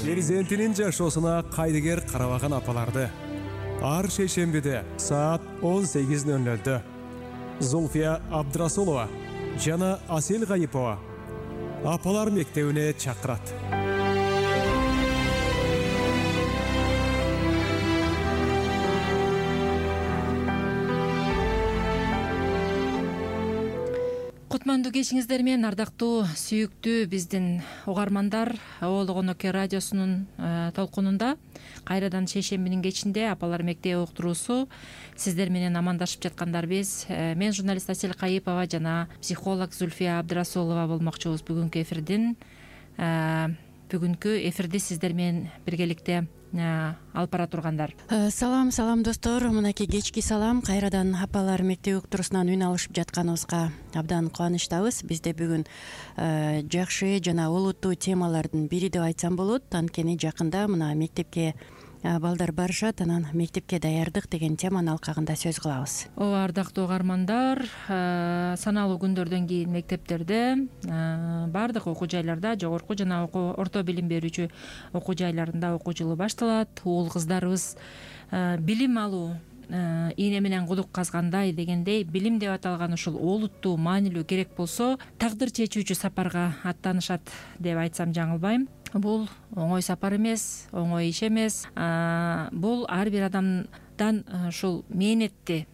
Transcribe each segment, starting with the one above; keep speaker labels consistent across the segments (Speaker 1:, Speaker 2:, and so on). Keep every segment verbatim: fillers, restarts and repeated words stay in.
Speaker 1: перзентинин жашоосуна кайдыгер карабаган апаларды ар шейшембиде саат он сегиз ноль нолдо Зульфия Абдрасулова жана Асел Гайипова апалар мектебине чакырат.
Speaker 2: Кутмандуу кечиңиздер менен, ардактуу сүйүктүү биздин угармандар. Оологон Оке радиосунун толкунунда кайрадан шейшембинин кечинде апалар мектеби уктуруусу сиздер менен амандашып жаткандарбыз. Мен журналист Асел Гайипова жана психолог Зульфия Абдрасулова болмокчубуз бүгүнкү эфирдин. Бүгүнкү эфирди сиздер менен биргеликте алып бара тургандар.
Speaker 3: Салам, салам достор. Мынакей кечки салам. Кайрадан апалар мектеби уктуруусунан үн алышып жатканыбызга абдан кубанычтабыз. Бизде бүгүн жакшы жана олуттуу темалардын бири деп айтсам болот. Анткени жакында мына мектепке балдар барышат, анан мектепке даярдык деген теманын алкагында сөз кылабыз.
Speaker 2: Ооба, ардактуу угармандар, саналуу күндөрдөн кийин мектептерде, баардык окуу жайларда, жогорку жана орто билим берүүчү окуу жайларында окуу жылы башталат. Уул кыздарыбыз билим алуу ийне менен кудук казгандай дегендей, билим деп аталган ушул олуттуу, маанилүү, керек болсо тагдыр чечүүчү сапарга аттанышат деп айтсам жаңылбайм. Бул оңой сапар эмес, оңой иш эмес. Бул ар бир адамдан ушул мээнетти,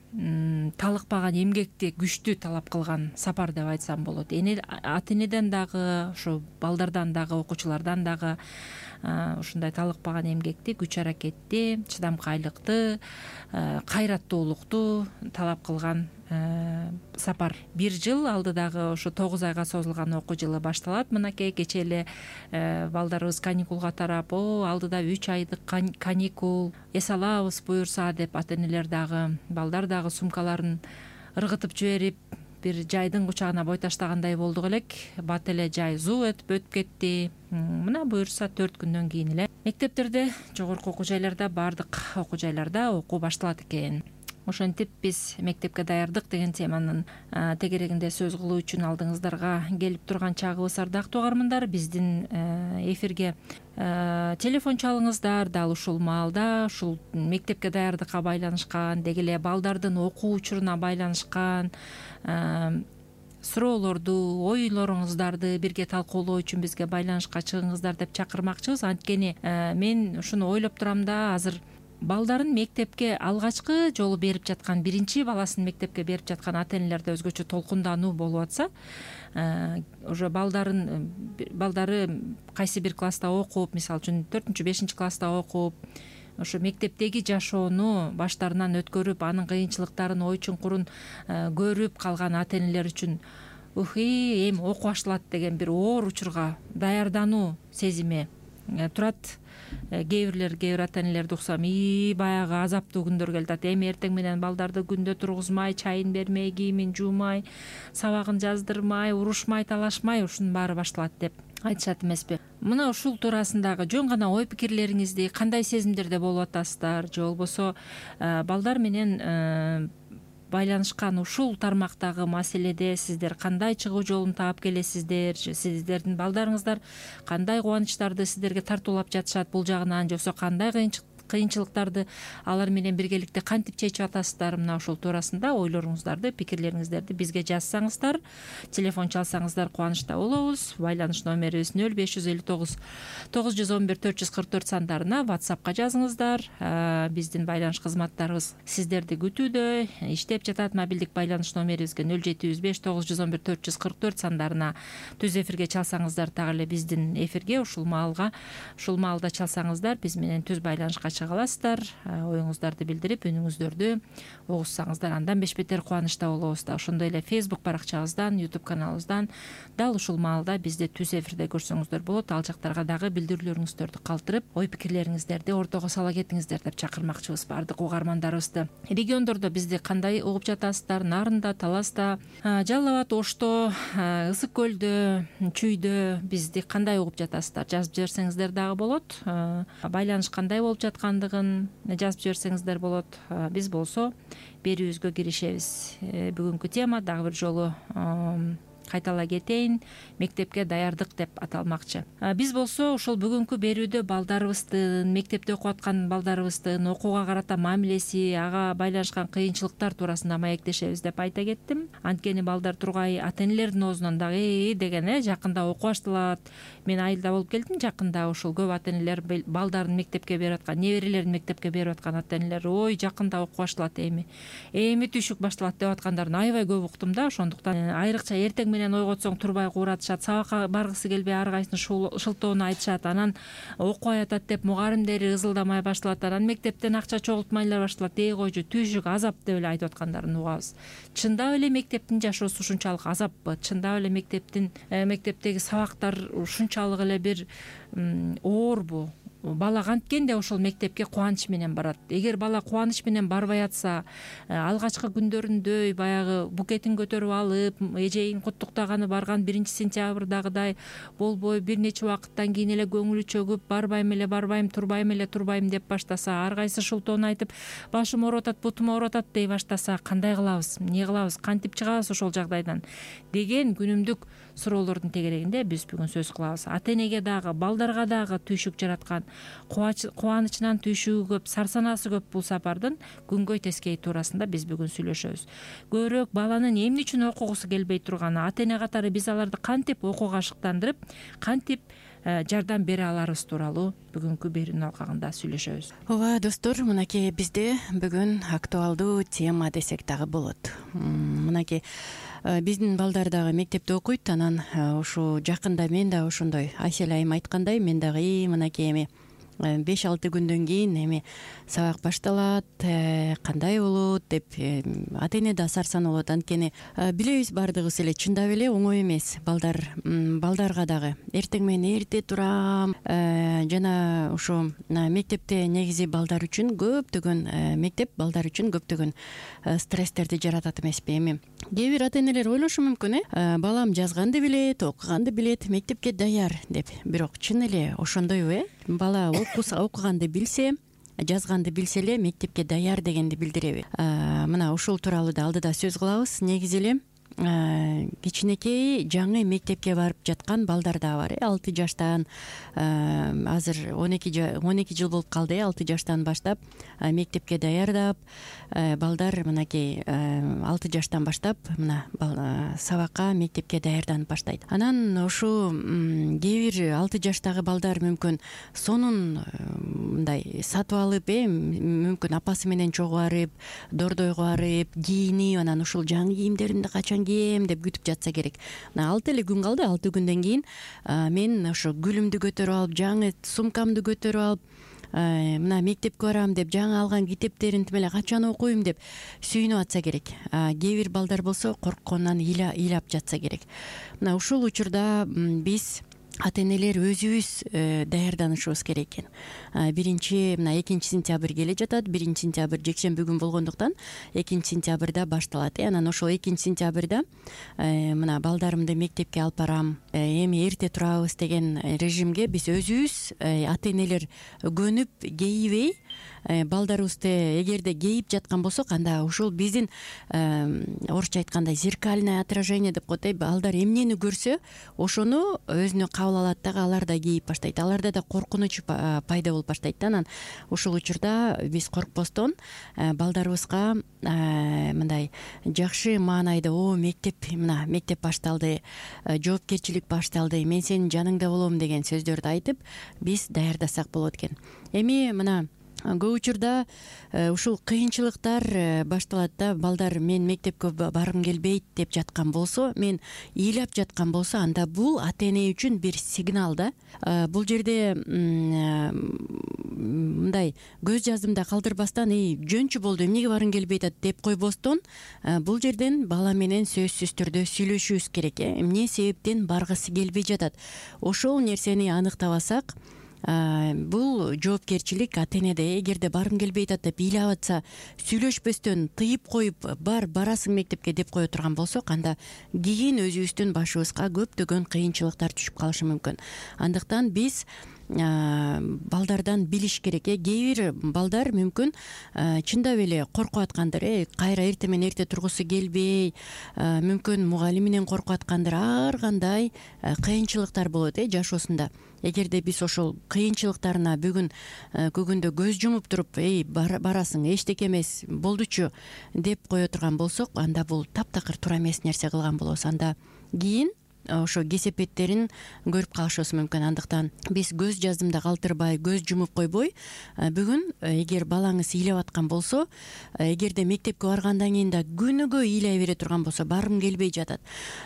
Speaker 2: талыкпаган эмгекти, күчтү талап кылган сапар деп айтсам болот. Ата энеден дагы, ушу балдардан дагы, окуучулардан дагы ушундай талыкпаган эмгекти, күч аракетти, чыдамкайлыкты, кайраттуулукту талап кылган сапар. Бир жыл алдыдагы ушу тогуз айга созулган окуу жылы башталат. Мынакей кечээ эле балдарыбыз каникулга тарап, о, алдыда үч айдык каникул, эс алабыз буюрса деп ата энелер дагы, балдар дагы сумкаларын ыргытып жиберип, бир жайдын кучагына бой таштагандай болдук элек. Бат эле жай зуу өтүп өтүп кетти. Мына буюрса төрт күндөн кийин эле мектептерде, жогорку окуу жайларда, баардык окуу жайларда окуу башталат экен. Ошентип биз мектепке даярдык деген теманын тегерегинде сөз кылуу үчүн алдыңыздарга келип турган чагыбыз, ардактуу угармандар. Биздин эфирге телефон чалыңыздар. Дал ушул маалда ушул мектепке даярдыкка байланышкан, деги эле балдардын окуу учуруна байланышкан суроолорду, ойлоруңуздарды бирге талкуулоо үчүн бизге байланышка чыгыңыздар деп чакырмакчыбыз. Анткени мен ушуну ойлоп турам да, азыр балдарын мектепке алгачкы жолу берип жаткан, биринчи баласын мектепке берип жаткан ата энелерде өзгөчө толкундануу болуп атса, уже балдарын балдары кайсы бир класста окуп, мисалы үчүн төртүнчү бешинчи класста окуп, ошо мектептеги жашоону баштарынан өткөрүп, анын кыйынчылыктарын, ой чуңкурун көрүп калган ата энелер үчүн ухи, эми окуу башталат деген бир оор учурга даярдануу сезими турат. Кээ бирлер, кээ бир ата энелерди уксам, и баягы азаптуу күндөр келип атат. Эми эртең менен балдарды күндө тургузмай, чайын бермей, кийимин жуумай, сабагын жаздырмай, урушмай, талашмай, ушунун баары башталат деп айтышат эмеспи? Мына ушул туурасындагы жөн гана ой пикирлериңизди, кандай сезимдерде болуп атасыздар, же болбосо балдар менен байланышкан ушул тармактагы маселеде сиздер кандай чыгуу жолун таап келесиздер, сиздердин балдарыңыздар кандай кубанычтарды сиздерге тартуулап жатышат бул жагынан, же болбосо кандай кыйынчылыктарды алар менен биргеликте кантип чечип атасыздар? Мына ушул туурасында ойлоруңуздарды, пикирлериңиздерди бизге жазсаңыздар, телефон чалсаңыздар кубанычта болобуз. Байланыш номерибиз нөл беш жүз элүү тогуз тогуз жүз он бир төрт жүз кырк төрт сандарына WhatsAppка жазыңыздар. Биздин байланыш кызматтарыбыз сиздерди күтүүдө, иштеп жатат. Мобилдик байланыш номерибизге нөл жети жүз беш тогуз жүз он бир төрт жүз кырк төрт сандарына түз эфирге чалсаңыздар, так эле биздин эфирге ушул маалга, ушул маалда чалсаңыздар, биз менен түз байланышка чыга аласыздар. Оюңуздарды билдирип, үнүңүздөрдү угушсаңыздар, андан беш бетер кубанычта болобуз да. Ошондой эле Facebook баракчабыздан, YouTube каналыбыздан дал ушул маалда бизди түз эфирде көрсөңүздөр болот. Ал жактарга дагы билдирүүлөрүңүздөрдү калтырып, ой пикирлериңиздерди ортого сала кетиңиздер деп чакырмакчыбыз баардык угармандарыбызды. Региондордо бизди кандай угуп жатасыздар? Нарында, Таласта, Жалал Абад, Ошто, Ысык көлдө, Чүйдө бизди кандай угуп жатасыздар? Жазып жиберсеңиздер дагы болот. Байланыш кандай болуп жаткандыгын жазып жиберсеңиздер болот. Биз болсо берүүбүзгө киришебиз. Бүгүнкү тема дагы бир жолу кайтала кетейин, мектепке даярдык деп аталмакчы. Биз болсо ушул бүгүнкү берүүдө балдарыбыздын, мектепте окуп аткан балдарыбыздын окууга карата мамилеси, ага байланышкан кыйынчылыктар туурасында маектешебиз деп айта кеттим. Анткени балдар тургай ата-энелердин оозунан дагы деген э жакында окуп башталат. Мен айылда болуп келдим жакында, ушул көп ата-энелер балдарын мектепке берип аткан, неберелерин мектепке берип аткан ата-энелер ой жакында окуп башталат эми. Эми түйшүк башталат деп аткандарын аябай көп уктум да. Ошондуктан айрыкча эртең менен ойготсоң турбай кууратышат, сабакка баргысы келбей ар кайсынын шылтоону айтышат, анан окубай атат деп мугалимдери ызылдамай башталат, анан мектептен акча чогултмайлар башталат. Эй койчу, түйшүк азап деп эле айтып аткандарын угабыз. Чындап эле мектептин жашоосу ушунчалык азаппы? Чындап эле мектептин мектептеги сабактар ушунчалык эле бир оорбу? Бала канткенде ошол мектепке кубаныч менен барат. Эгер бала кубаныч менен барбай атса, алгачкы күндөрүндөй баягы букетин көтөрүп алып, эжейин куттуктаганы барган биринчи сентябрдагыдай болбой, бир нече убакыттан кийин эле көңүлү чөгүп, барбайм эле барбайм, турбайм эле турбайм деп баштаса, ар кайсы шылтоону айтып, башым ооруп атат, бутум ооруп атат дей баштаса, кандай кылабыз, эмне кылабыз, кантип чыгабыз ошол жагдайдан деген күнүмдүк суроолордун тегерегинде биз бүгүн сөз кылабыз. Ата-энеге дагы, балдарга дагы түйшүк жараткан, кубанычынан түйшүгү көп, сарсанасы көп бул сапардын күнгөй тескейи туурасында биз бүгүн сүйлөшөбүз. Көбүрөөк баланын эмне үчүн окугусу келбей турганы, ата-эне катары биз аларды кантип окууга ашыктандырып, кантип жардам бере аларыбыз тууралуу бүгүнкү берүүнүн алкагында сүйлөшөбүз.
Speaker 3: Ооба достор, мынакей бизде бүгүн актуалдуу тема десек дагы болот. Мынакей биздин балдар дагы мектепте окуйт, анан ушу жакында мен дагы ошондой Айсел айым айткандай, мен дагы мынакей эми беш алты күндөн кийин эми сабак башталат, кандай болот деп ата-эне да сарсан болот. Анткени билебиз баардыгыбыз эле, чындап эле оңой эмес. Балдар балдарга дагы эртең менен эрте турам, жана ушу мектепте негизи балдар үчүн көптөгөн мектеп балдар үчүн көптөгөн стресстерди жаратат эмеспи? Эми кээ бир ата-энелер ойлошу мүмкүн, э балам жазганды билет, окуганды билет, мектепке даяр деп. Бирок чын эле ошондойбу, э бала окуганды билсе, жазганды билсе эле мектепке даяр дегенди билдиреби? Мына ушул тууралуу да алдыда сөз кылабыз. Негизи эле кичинекей жаңы мектепке барып жаткан балдар да бар, э алты жаштан, азыр он эки жыл болуп калды, э алты жаштан баштап мектепке даярдап, балдар мынакей алты жаштан баштап мына сабакка, мектепке даярданып баштайт. Анан ушу кээ бир алты жаштагы балдар мүмкүн сонун мындай сатып алып, э мүмкүн апасы менен чогуу барып, дордойго барып, кийинип, анан ушул жаңы кийимдеримди качан кийем деп күтүп жатса керек. Мына алты эле күн калды, алты күндөн кийин мен ошо гүлүмдү көтөрүп алып, жаңы сумкамды көтөрүп алып, мына мектепке барам деп, жаңы алган китептерин тим эле качан окуйм деп сүйүнүп атса керек. Кээ бир балдар болсо коркконунан ыйлап жатса керек. Мына ушул учурда биз ата-энелер өзүбүз даярданышыбыз керек экен. Биринчи мына экинчи сентябрь келе жатат. Биринчи сентябрь жекшемби күн болгондуктан экинчи сентябрда башталат. Анан ошол экинчи сентябрда мына балдарымды мектепке алып барам, эми эрте турабыз деген режимге биз өзүбүз ата-энелер көнүп кейибей, балдарыбызды эгерде кейип жаткан болсок, анда ушул биздин орусча айткандай зеркальное отражение деп коет. Балдар эмнени көрсө, ошону өзүнө кабыл алат дагы, алар да кейип баштайт. Аларда да коркунуч пайда болуп баштайт. Анан ушул учурда биз коркпостон балдарыбызга мындай жакшы маанайда, о мектеп, мына мектеп башталды, жоопкерчилик башталды, мен сенин жаныңда болом деген сөздөрдү айтып биз даярдасак болот экен. Эми мына көп учурда ушул кыйынчылыктар башталат да. Балдар мен мектепке баргым келбейт деп жаткан болсо, мен ыйлап жаткан болсо, анда бул ата-эне үчүн бир сигнал да. Бул жерде мындай көз жаздымда калтырбастан, эй жөнчү болду, эмнеге баргың келбейт атат деп койбостон, бул жерден бала менен сөзсүз түрдө сүйлөшүүбүз керек. Эмне себептен баргысы келбей жатат? Ошол нерсени аныктабасак, бул жоопкерчилик ата-энеде. Эгерде баргым келбейт атат деп ыйлап атса, сүйлөшпөстөн тыйып коюп, бар барасың мектепке деп кое турган болсок, анда кийин өзүбүздүн башыбызга көптөгөн кыйынчылыктар түшүп калышы мүмкүн. Андыктан биз балдардан билиш керек. э кээ бир балдар мүмкүн чындап эле коркуп аткандыр, э кайра эртең менен эрте тургусу келбей, мүмкүн мугалиминен коркуп аткандыр, ар кандай кыйынчылыктар болот э жашоосунда. Эгерде биз ошол кыйынчылыктарына бүгүн көгүндө көз жумуп туруп, эй барасың, эчтеке эмес, болдучу деп кое турган болсок, анда бул таптакыр туура эмес нерсе кылган болобуз. Анда кийин ошо кесепеттерин көрүп калышыбыз мүмкүн. Андыктан биз көз жаздымда калтырбай, көз жумуп койбой, бүгүн эгер балаңыз ыйлап аткан болсо, эгерде мектепке баргандан кийин да күнүгө ыйлай бере турган болсо, баргым келбей жатат,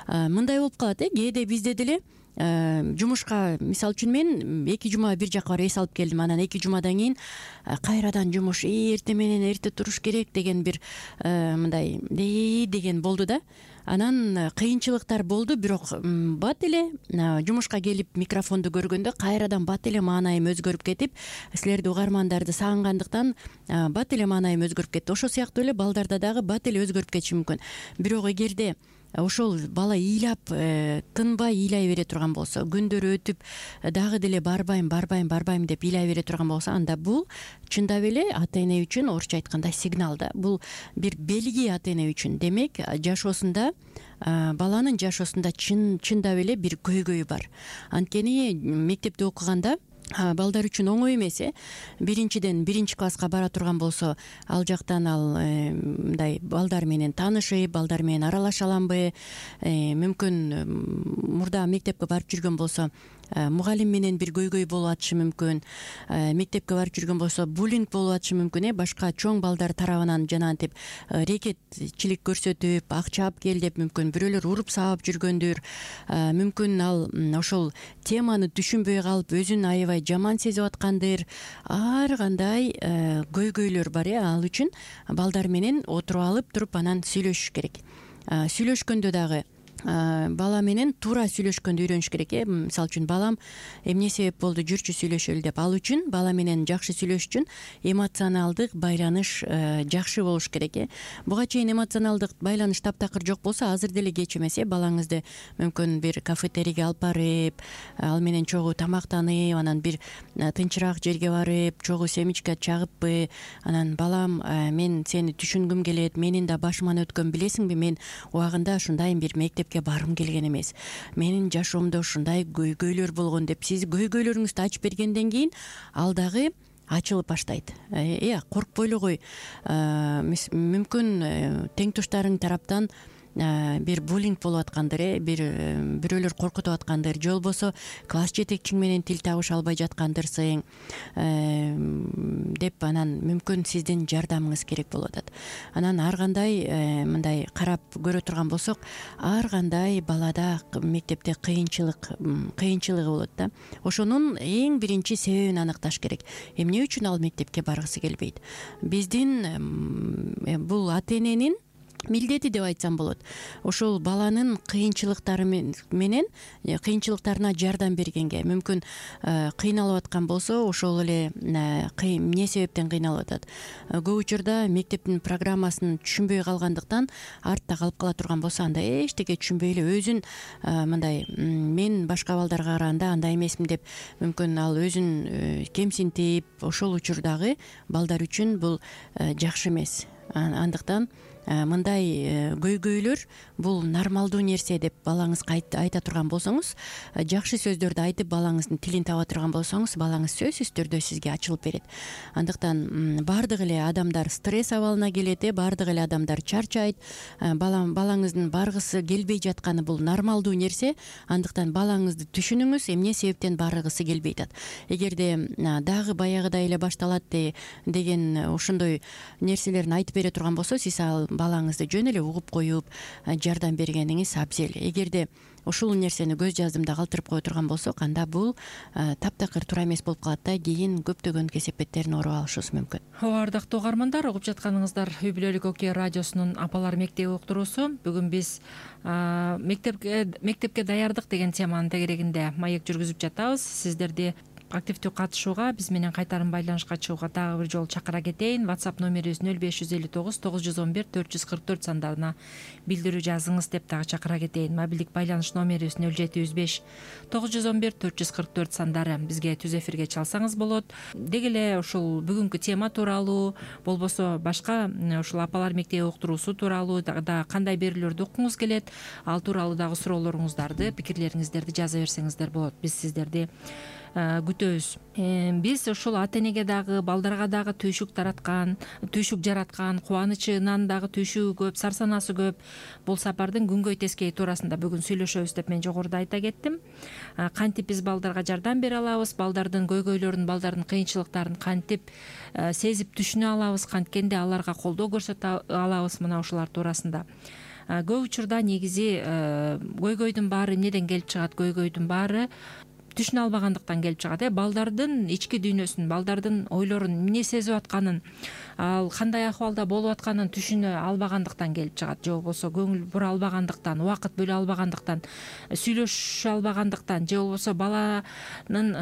Speaker 3: мындай болуп калат э кээде бизде деле жумушка, мисалы үчүн мен эки жума бир жака барып эс алып келдим, анан эки жумадан кийин кайрадан жумуш, эртең менен эрте туруш керек деген бир мындай деген болду да. Анан кыйынчылыктар болду, бирок бат эле жумушка келип микрофонду көргөндө кайрадан бат эле маанайым өзгөрүп кетип, силерди угармандарды сагынгандыктан бат эле маанайым өзгөрүп кетти. Ошол сыяктуу эле балдарда дагы бат эле өзгөрүп кетиши мүмкүн. Бирок эгерде ошол бала ыйлап, тынбай ыйлай бере турган болсо, күндөр өтүп дагы деле барбайм, барбайм, барбайм деп ыйлай бере турган болсо, анда бул чындап эле ата эне үчүн, орусча айтканда, сигнал да. Бул бир белги ата эне үчүн. Демек, жашоосунда, баланын жашоосунда чын чындап эле бир көйгөйү бар. Анткени мектепте окуганда балдар үчүн оңой эмес э биринчиден биринчи класска бара турган болсо, ал жактан ал мындай балдар менен таанышып, балдар менен аралаша аламбы, мүмкүн мурда мектепке барып жүргөн болсо мугалим менен бир көйгөй болуп атышы мүмкүн, мектепке барып жүргөн болсо буллинг болуп атышы мүмкүн, э башка чоң балдар тарабынан жанагынтип рекетчилик көрсөтүп, акча алып кел деп мүмкүн бирөөлөр уруп сабап жүргөндүр. Мүмкүн ал ошол теманы түшүнбөй калып, өзүн аябай жаман сезип аткандыр. Ар кандай көйгөйлөр бар, э ал үчүн балдар менен отуруп алып туруп анан сүйлөшүш керек. Сүйлөшкөндө дагы бала менен туура сүйлөшкөндү үйрөнүш керек. э Мисалы үчүн балам эмне себеп болду, жүрчү сүйлөшөлү деп. Ал үчүн бала менен жакшы сүйлөшүш үчүн эмоционалдык байланыш жакшы болуш керек. э Буга чейин эмоционалдык байланыш таптакыр жок болсо, азыр деле кеч эмес. э Балаңызды мүмкүн бир кафетерийге алып барып, ал менен чогуу тамактанып, анан бир тынчыраак жерге барып, чогуу семечко чагыппы, анан балам, мен сени түшүнгүм келет, менин да башыман өткөн, билесиңби, мен убагында ушундай бир мектеп барым келген эмес, менин жашоомдо ушундай көйгөйлөр болгон деп сиз көйгөйлөрүңүздү ачып бергенден кийин ал дагы ачылып баштайт. Э коркпой эле кой, мүмкүн тең туштарың тараптан бир буллинг болуп аткандыр, э бир бирөөлөр коркутуп аткандыр, же болбосо класс жетекчиң менен тил табыша албай жаткандырсың деп, анан мүмкүн сиздин жардамыңыз керек болуп атат. Анан ар кандай мындай карап көрө турган болсок, ар кандай балада мектепте кыйынчылык кыйынчылыгы болот да. Ошонун эң биринчи себебин аныкташ керек. Эмне үчүн ал мектепке баргысы келбейт? Биздин бул ата эненин милдети деп айтсам болот. Ошол баланын кыйынчылыктары менен кыйынчылыктарына жардам бергенге, мүмкүн кыйналып аткан болсо, ошол эле эмне себептен кыйналып атат. Көп учурда мектептин программасын түшүнбөй калгандыктан артта калып кала турган болсо, анда эчтеке түшүнбөй эле өзүн мындай, мен башка балдарга караганда андай эмесмин деп, мүмкүн ал өзүн кемсинтип, ошол учурдагы балдар үчүн бул жакшы эмес. Андыктан мындай көйгөйлөр бул нормалдуу нерсе деп балаңызга айта турган болсоңуз, жакшы сөздөрдү айтып балаңыздын тилин таба турган болсоңуз, балаңыз сөзсүз түрдө сизге ачылып берет. Андыктан баардык эле адамдар стресс абалына келет, э баардык эле адамдар чарчайт. Балам балаңыздын баргысы келбей жатканы бул нормалдуу нерсе. Андыктан балаңызды түшүнүңүз, эмне себептен баргысы келбей атат. Эгерде дагы баягыдай эле башталат деген ошондой нерселерин айтып бере турган болсо, сиз ал балаңызды жөн эле угуп коюп жардам бергениңиз абзел. Эгерде ушул нерсени көз жаздымда калтырып кое турган болсок, анда бул таптакыр туура эмес болуп калат да, кийин көптөгөн кесепеттерин ооруп алышыбыз мүмкүн.
Speaker 2: Ооба, ардактуу угармандар, угуп жатканыңыздар Үй бүлөлүк Окей радиосунун Апалар мектеби уктуруусу. Бүгүн биз мектепке мектепке даярдык деген теманын тегерегинде маек жүргүзүп жатабыз. Сиздерди активдүү катышууга, биз менен кайтарым байланышка чыгууга дагы бир жолу чакыра кетейин. WhatsApp номерибиз нөл беш жүз элүү тогуз тогуз жүз он бир төрт жүз кырк төрт сандарына билдирүү жазыңыз деп дагы чакыра кетейин. Мобилдик байланыш номерибиз нөл жети жүз беш тогуз жүз он бир төрт жүз кырк төрт сандары, бизге түз эфирге чалсаңыз болот. Деги эле ушул бүгүнкү тема тууралуу, болбосо башка ушул апалар мектеби уктуруусу тууралуу дагы кандай берүүлөрдү уккуңуз келет, ал тууралуу дагы суроолоруңуздарды, пикирлериңиздерди жаза берсеңиздер болот. Биз сиздерди күтөбүз. Биз ушул ата энеге дагы, балдарга дагы түйшүк тараткан, түйшүк жараткан, кубанычынан дагы түйшүгү көп, сарсанасы көп бул сапардын күнгөй тескейи туурасында бүгүн сүйлөшөбүз деп мен жогоруда айта кеттим. Кантип биз балдарга жардам бере алабыз, балдардын көйгөйлөрүн, балдардын кыйынчылыктарын кантип сезип түшүнө алабыз, канткенде аларга колдоо көрсөтө алабыз, мына ушулар туурасында. Көп учурда негизи көйгөйдүн баары эмнеден келип чыгат? Көйгөйдүн баары түшүнө албагандыктан келип чыгат. Э балдардын ички дүйнөсүн, балдардын ойлорун, эмне сезип атканын, ал кандай акыбалда болуп атканын түшүнө албагандыктан келип чыгат. Же болбосо көңүл бура албагандыктан, убакыт бөлө албагандыктан, сүйлөшө албагандыктан, же болбосо баланын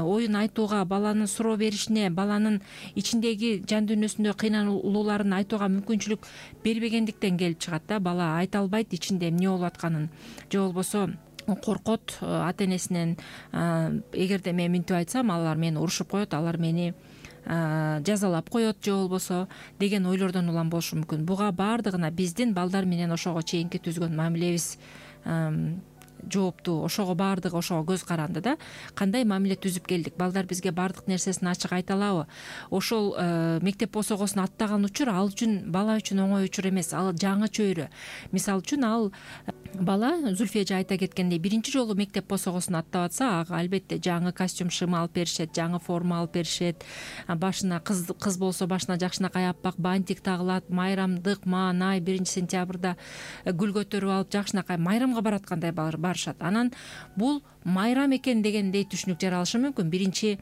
Speaker 2: оюн айтууга, баланын суроо беришине, баланын ичиндеги жан дүйнөсүндө кыйналууларын айтууга мүмкүнчүлүк бербегендиктен келип чыгат да. Бала айта албайт ичинде эмне болуп атканын, же болбосо коркот ата энесинен. Эгерде мен минтип айтсам, алар мени урушуп коет, алар мени жазалап коет, же болбосо деген ойлордон улам болушу мүмкүн. Буга баардыгына биздин балдар менен ошого чейинки түзгөн мамилебиз жооптуу. Ошого баардыгы ошого көз каранды да. Кандай мамиле түзүп келдик? Балдар бизге баардык нерсесин ачык айта алабы? Ошол мектеп босогосун аттаган учур ал үчүн, бала үчүн оңой учур эмес. Ал жаңы чөйрө. Мисалы үчүн ал бала, Зүлфия эже айта кеткендей, биринчи жолу мектеп босогосун аттап атса, ага албетте жаңы костюм, шыма алып беришет, жаңы форма алып беришет. Башына кыз кыз болсо башына жакшынакай аппак бантик тагылат, майрамдык маанай биринчи сентябрда гүл көтөрүп алып жакшынакай майрамга бараткандай барышат. Анан бул майрам экен дегендей түшүнүк жаралышы мүмкүн биринчи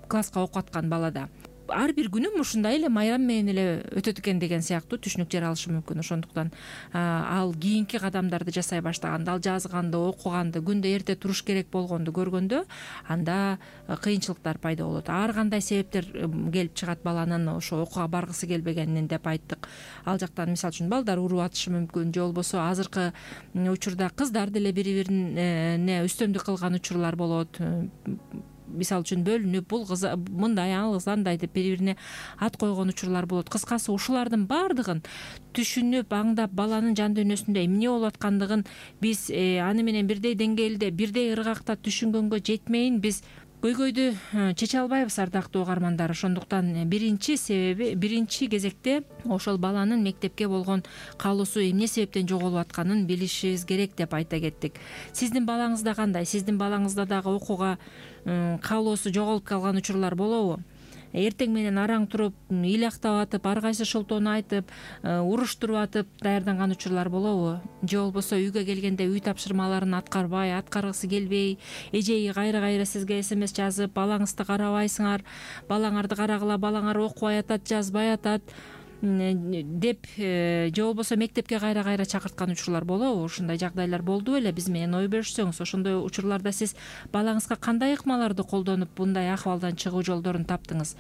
Speaker 2: класска окуп аткан балада. Ар бир күнүм ушундай эле майрам менен эле өтөт экен деген сыяктуу түшүнүк жаралышы мүмкүн. Ошондуктан ал кийинки кадамдарды жасай баштаганда, ал жазганды, окуганды, күндө эрте туруш керек болгонду көргөндө, анда кыйынчылыктар пайда болот. Ар кандай себептер келип чыгат баланын ошо окууга баргысы келбегенинен деп айттык. Ал жактан мисалы үчүн балдар уруп атышы мүмкүн, же болбосо азыркы учурда кыздар деле бири-бирине үстөмдүк кылган учурлар болот. Мисалы үчүн бөлүнүп, бул кыз мындай, ал кыз андай деп бири-бирине ат койгон учурлар болот. Кыскасы ушулардын баардыгын түшүнүп, аңдап, баланын жан дүйнөсүндө эмне болуп аткандыгын биз аны менен бирдей деңгээлде, бирдей ыргакта түшүнгөнгө жетмейин биз көйгөйдү чече албайбыз, ардактуу угармандар. Ошондуктан биринчи себеби, биринчи кезекте ошол баланын мектепке болгон каалоосу эмне себептен жоголуп атканын билишибиз керек деп айта кеттик. Сиздин балаңызда кандай? Сиздин балаңызда дагы окууга каалоосу жоголуп калган учурлар болобу? Эртең менен араң туруп, ыйлактап атып, ар кайсы шылтоону айтып, уруштуруп атып даярданган учурлар болобу? Же болбосо үйгө келгенде үй тапшырмаларын аткарбай, аткаргысы келбей, эжеги кайра-кайра сизге смс жазып, балаңызды карабайсыңар, балаңарды карагыла, балаңар окубай атат, жазбай атат деп, же болбосо мектепке кайра-кайра чакырткан учурлар болобу? Ушундай жагдайлар болду беле? Биз менен ой бөлүшсөңүз, ошондой учурларда сиз балаңызга кандай ыкмаларды колдонуп мындай акыбалдан чыгуу жолдорун таптыңыз?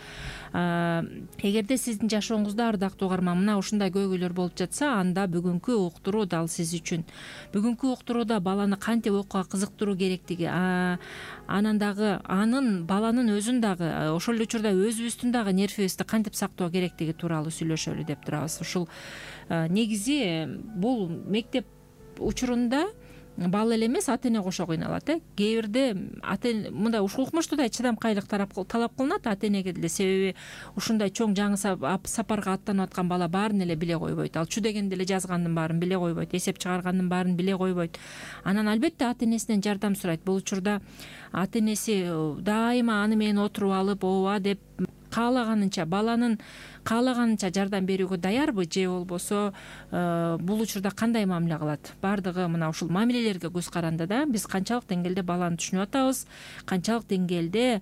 Speaker 2: Эгерде сиздин жашооңузда, ардактуу угарман, мына ушундай көйгөйлөр болуп жатса, анда бүгүнкү уктуруу дал сиз үчүн. Бүгүнкү уктурууда баланы кантип окууга кызыктыруу керектиги, анан дагы анын баланын өзүн дагы ошол эле учурда өзүбүздүн дагы нервибизди кантип сактоо керектиги тууралуу сүйлөшөлү деп турабыз. Ушул негизи бул мектеп учурунда бала эле эмес, ата эне кошо кыйналат. э Кээ бирде ата эне мындай укмуштуудай чыдамкайлык талап кылынат ата энеге деле, себеби ушундай чоң жаңы сапарга аттанып аткан бала баарын эле биле койбойт. Ал чү дегенди эле жазгандын баарын биле койбойт, эсеп чыгаргандын баарын биле койбойт. Анан албетте ата энесинен жардам сурайт. Бул учурда ата энеси дайыма аны менен отуруп алып, ооба деп каалаганынча, баланын каалаганынча жардам берүүгө даярбы, же болбосо бул учурда кандай мамиле кылат? Баардыгы мына ушул мамилелерге көз каранды да. Биз канчалык деңгээлде баланы түшүнүп атабыз, канчалык деңгээлде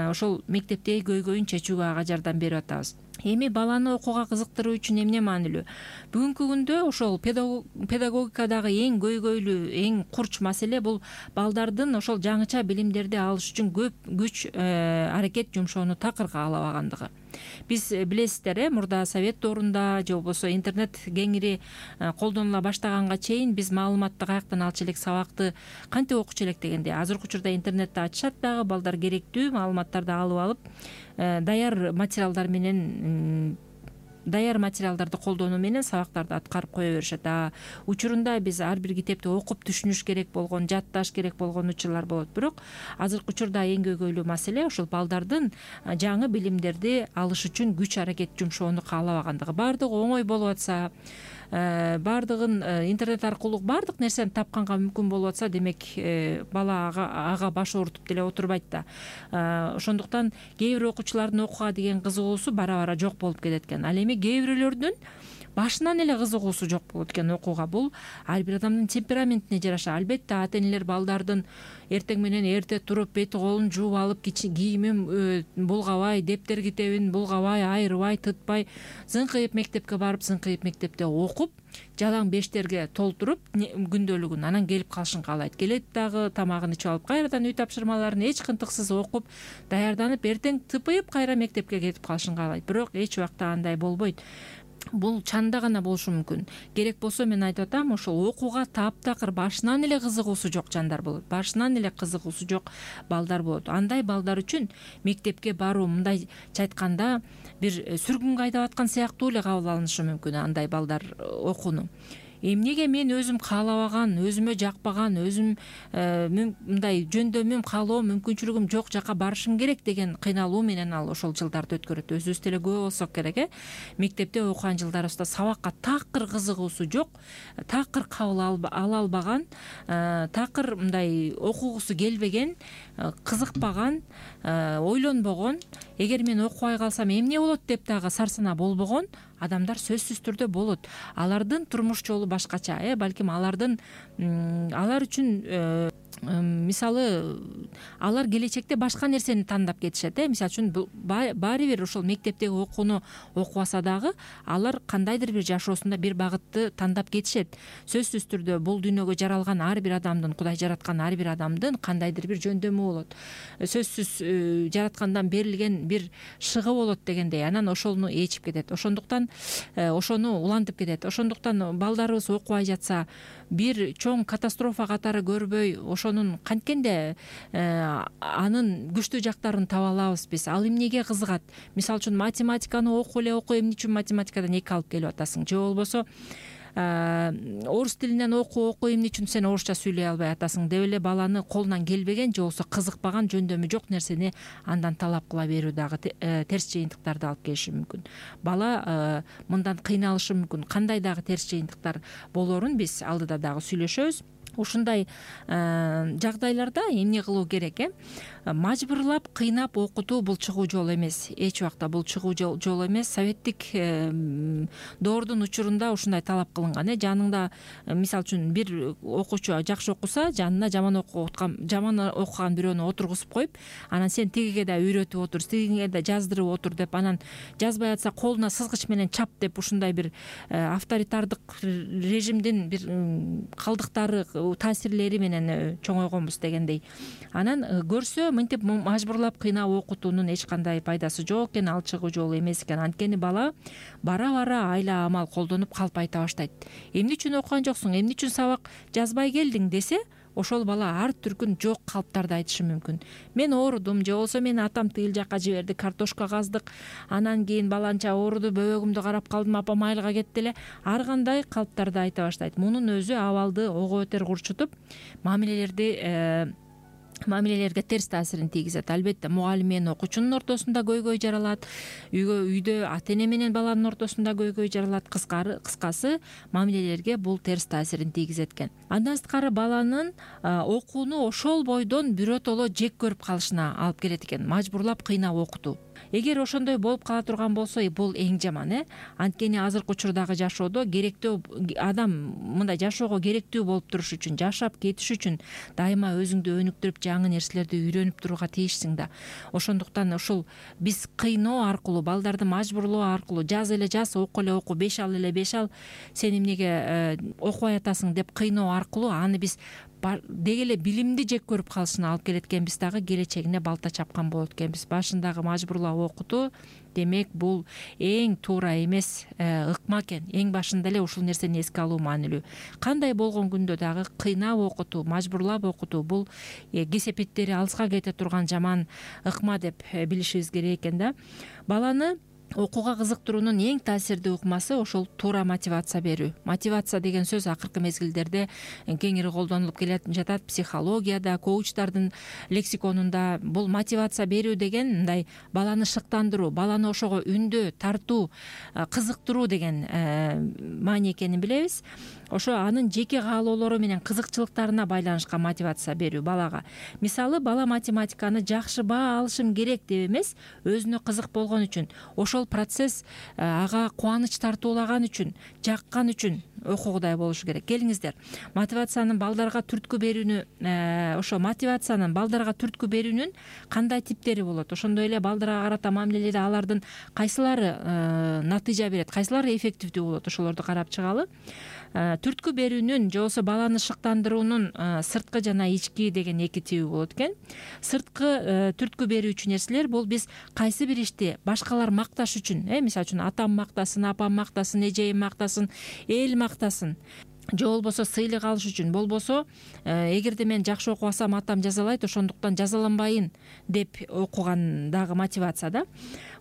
Speaker 2: ошол мектептеги көйгөйүн чечүүгө ага жардам берип атабыз. Эми баланы окууга кызыктыруу үчүн эмне маанилүү? Бүгүнкү күндө ошол педагогикадагы эң көйгөйлүү, эң курч маселе бул балдардын ошол жаңыча билимдерди алыш үчүн көп күч аракет жумшоону такыр каалабагандыгы. Биз билесиздер, э мурда совет доорунда же болбосо интернет кеңири колдонула баштаганга чейин биз маалыматты каяктан алчу элек, сабакты кантип окучу элек дегенде, азыркы учурда интернетти ачышат дагы, балдар керектүү маалыматтарды алып алып даяр материалдар менен даяр материалдарды колдонуу менен сабактарды аткарып кое беришет. А учурунда биз ар бир китепти окуп түшүнүш керек болгон, жатташ керек болгон учурлар болот. Бирок азыркы учурда эң көйгөйлүү маселе ошол балдардын жаңы билимдерди алыш үчүн күч аракет жумшоону каалабагандыгы. Баардыгы оңой болуп атса, баардыгын интернет аркылуу баардык нерсени тапканга мүмкүн болуп атса, демек бала ага, ага баш оорутуп деле отурбайт да. Ошондуктан кээ бир окуучулардын окууга деген кызыгуусу бара бара жок болуп кетет экен. Ал эми кээ бирөөлөрдүн башынан эле кызыгуусу жок болот экен окууга. Бул ар бир адамдын темпераментине жараша. Албетте ата энелер балдардын эртең менен эрте туруп бети колун жууп алып, кийимин булгабай, дептер китебин булгабай, айрыбай, тытпай, зыңкыйып мектепке барып, зыңкыйып мектепте окуп, жалаң бештерге толтуруп күндөлүгүн анан келип калышын каалайт. Келет дагы тамагын ичип алып, кайрадан үй тапшырмаларын эч кынтыксыз окуп, даярданып, эртең тыпыйып кайра мектепке кетип калышын каалайт. Бирок эч убакта андай болбойт. Бул чанда гана болушу мүмкүн. Керек болсо мен айтып атам, ошол окууга таптакыр башынан эле кызыгуусу жок жандар болот. Башынан эле кызыгуусу жок балдар болот. Андай балдар үчүн мектепке баруу мындайча айтканда бир сүргүнгө айдап аткан сыяктуу эле кабыл алынышы мүмкүн андай балдар окууну. Эмнеге мен өзүм каалабаган, өзүмө жакпаган, өзүм мындай жөндөмүм, каалоом, мүмкүнчүлүгүм жок жака барышым керек деген кыйналуу менен ал ошол жылдарды өткөрөт. Өзүбүз деле күбө болсок керек, э мектепте окуган жылдарыбызда сабакка такыр кызыгуусу жок, такыр кабыл ала албаган, такыр мындай окугусу келбеген, кызыкпаган, ойлонбогон, эгер мен окубай калсам эмне болот деп дагы сарсанаа болбогон адамдар сөзсүз түрдө болот. Алардын турмуш жолу башкача, э балким алардын алар үчүн мисалы алар келечекте башка нерсени тандап кетишет, э мисалы үчүн баары бир ошол мектептеги окууну окубаса дагы алар кандайдыр бир жашоосунда бир багытты тандап кетишет. Сөзсүз түрдө бул дүйнөгө жаралган ар бир адамдын, Кудай жараткан ар бир адамдын кандайдыр бир жөндөмү болот. Сөзсүз жараткандан берилген бир шыгы болот дегендей, анан ошону ээчип кетет. Ошондуктан ошону улантып кетет. Ошондуктан балдарыбыз окубай жатса, бир чоң катастрофа катары көрбөй, ошонун канткенде анын күчтүү жактарын таба алабыз биз. Ал эмнеге кызыгат? Мисалы үчүн математиканы окуп эле окуп, эмне үчүн математикадан эки алып келип атасың? Же болбосо орус тилинен окуу окуу эмне үчүн сен орусча сүйлөй албай атасың деп эле баланы колунан келбеген же болбосо кызыкпаган, жөндөмү жок нерсени андан талап кыла берүү дагы терс жыйынтыктарды алып келиши мүмкүн. Бала мындан кыйналышы мүмкүн. Кандай дагы терс жыйынтыктар болорун биз алдыда дагы сүйлөшөбүз. Ушундай жагдайларда эмне кылуу керек, э мажбурлап, кыйнап окутуу бул чыгуу жол эмес. Эч убакта бул чыгуу жол эмес. Советтик доордун учурунда ушундай талап кылынган, э жаныңда мисалы үчүн бир окуучу жакшы окуса, жанына жаман окуткан, жаман окуган бирөөнү отургузуп коюп, анан сен тигиге да үйрөтүп отур, тигиге да жаздырып отур деп, анан жазбай атса колуна сызгыч менен чап деп, ушундай бир авторитардык режимдин бир калдыктары, таасирлери менен чоңойгонбуз дегендей. Анан көрсө мынтип мажбурлап кыйнап окутуунун эч кандай пайдасы жок экен, ал чыгуу жолу эмес экен. Анткени бала бара-бара айла амал колдонуп калп айта баштайт. Эмне үчүн окуган жоксуң, эмне үчүн сабак жазбай келдиң десе, ошол бала ар түркүн жок калыптарды айтышы мүмкүн. Мен оорудум, же болбосо мени атам тыйыл жакка жиберди, картошка каздык, анан кийин баланча ооруду, бөбөгүмдү карап калдым, апам айылга кетти эле. Ар кандай калыптарды айта баштайт. Мунун өзү абалды ого бетер курчутуп, мамилелерди мамилелерге терс таасирин тийгизет. Албетте мугалим менен окуучунун ортосунда көйгөй жаралат, үйгө үйдө ата эне менен баланын ортосунда көйгөй жаралат. Кыскары кыскасы мамилелерге бул терс таасирин тийгизет экен. Андан сырткары баланын окууну ошол бойдон биротоло жек көрүп калышына алып келет экен, мажбурлап кыйнап окутуу. Эгер ошондой болуп кала турган болсо, бул эң жаман, э анткени азыркы учурдагы жашоодо керектүү адам мындай жашоого керектүү болуп туруш үчүн, жашап кетиш үчүн дайыма өзүңдү өнүктүрүп, жаңы нерселерди үйрөнүп турууга тийишсиң да. Ошондуктан ушул биз кыйноо аркылуу, балдарды мажбурлоо аркылуу, жаз эле жаз, оку эле оку, беш ал эле беш ал, сен эмнеге окубай атасың деп кыйноо аркылуу аны биз деги эле билимди жек көрүп калышына алып келет экенбиз, дагы келечегине балта чапкан болот экенбиз. Башындагы мажбурлап окутуу демек бул эң туура эмес ыкма экен. Эң башында эле ушул нерсени эске алуу маанилүү. Кандай болгон күндө дагы кыйнап окутуу, мажбурлап окутуу бул кесепеттери алыска кете турган жаман ыкма деп билишибиз керек экен да. Баланы окууга кызыктыруунун эң таасирдүү ыкмасы ошол туура мотивация берүү. Мотивация деген сөз акыркы мезгилдерде кеңири колдонулуп келе жатат. Психологияда, коучтардын лексиконунда бул мотивация берүү деген мындай баланы шыктандыруу, баланы ошого үндөө, тартуу, кызыктыруу деген маани экенин билебиз. Ошо анын жеке каалоолору менен кызыкчылыктарына байланышкан мотивация берүү балага. Мисалы, бала математиканы жакшы баа алышым керек деп эмес, өзүнө кызык болгон үчүн, ошол процесс ага кубаныч тартуулаган үчүн, жаккан үчүн окугудай болушу керек. Келиңиздер, мотивациянын балдарга түрткү берүүнү, ошо мотивациянын балдарга түрткү берүүнүн кандай типтери болот? Ошондой эле балдарга карата мамиледе алардын кайсылары натыйжа берет, кайсылары эффективдүү болот? Ошолорду карап чыгалы. Түрткү берүүнүн же болбосо баланы шыктандыруунун сырткы жана ички деген эки тиби болот экен. Сырткы түрткү берүүчү нерселер бул биз кайсы бир ишти башкалар макташ үчүн, э мисалы үчүн атам мактасын, апам мактасын, эжейим мактасын, эл мактасын, же болбосо сыйлык алыш үчүн, болбосо эгерде мен жакшы окуп алсам атам жазалайт, ошондуктан жазаланбайын деп окуган дагы мотивация да.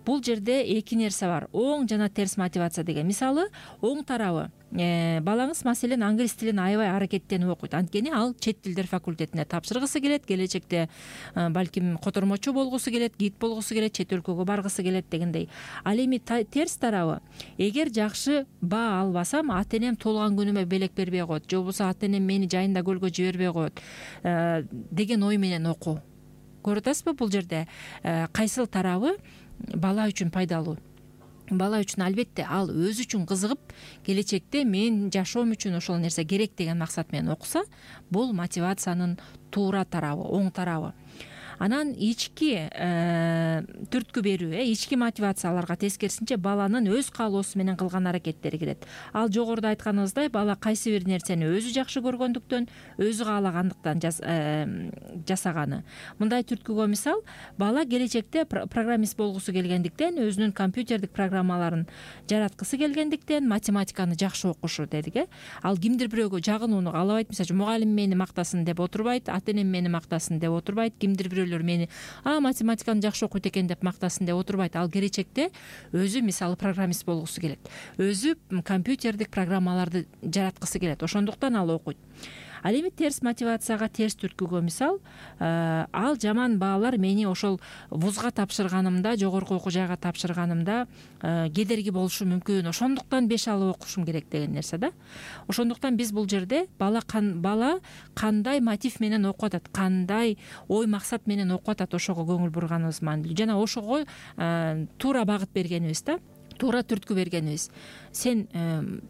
Speaker 2: Бул жерде эки нерсе бар: оң жана терс мотивация деген. Мисалы, оң тарабы балаңыз маселен англис тилин аябай аракеттенип окуйт. Анткени ал чет тилдер факультетине тапшыргысы келет, келечекте балким котормочу болгусу келет, гид болгусу келет, чет өлкөгө баргысы келет дегендей. Ал эми терс тарабы: эгер жакшы баа албасам, ата энем туулган күнүмө белек бербей коет, же болбосо ата энем мени жайында көлгө жибербей коет деген ой менен окуу. Көрүп атасызбы, бул жерде кайсыл тарабы бала үчүн пайдалуу? Бала үчүн албетте ал өзү үчүн кызыгып, келечекте мен жашоом үчүн ошол нерсе керек деген максат менен окуса, бул мотивациянын туура тарабы, оң тарабы. Анан ички түрткү берүү, э ички мотивацияларга тескерисинче баланын өз каалоосу менен кылган аракеттери кирет. Ал жогоруда айтканыбыздай, бала кайсы бир нерсени өзү жакшы көргөндүктөн, өзү каалагандыктан жасаганы. Мындай түрткүгө мисал, бала келечекте программист болгусу келгендиктен, өзүнүн компьютердик программаларын жараткысы келгендиктен математиканы жакшы окушу дедик, э. Ал кимдир бирөөгө жагынууну каалабайт. Мисалы, мугалим мени мактасын деп отурбайт, ата энем мени мактасын деп отурбайт, кимдир бирөө мени а математиканы жакшы окуйт экен деп мактасын деп отурбайт. Ал келечекте өзү мисалы программист болгусу келет, өзү компьютердик программаларды жараткысы келет, ошондуктан ал окуйт. Ал эми терс мотивацияга, терс түрткүгө мисал, ал жаман баалар мени ошол вузга тапшырганымда, жогорку окуу жайга тапшырганымда кедерги болушу мүмкүн, ошондуктан беш алып окушум керек деген нерсе да. Ошондуктан биз бул жерде бала бала кандай мотив менен окуп атат, кандай ой максат менен окуп атат, ошого көңүл бурганыбыз маанилүү. Жана ошого туура багыт бергенибиз да, туура түрткү бергенибиз. Сен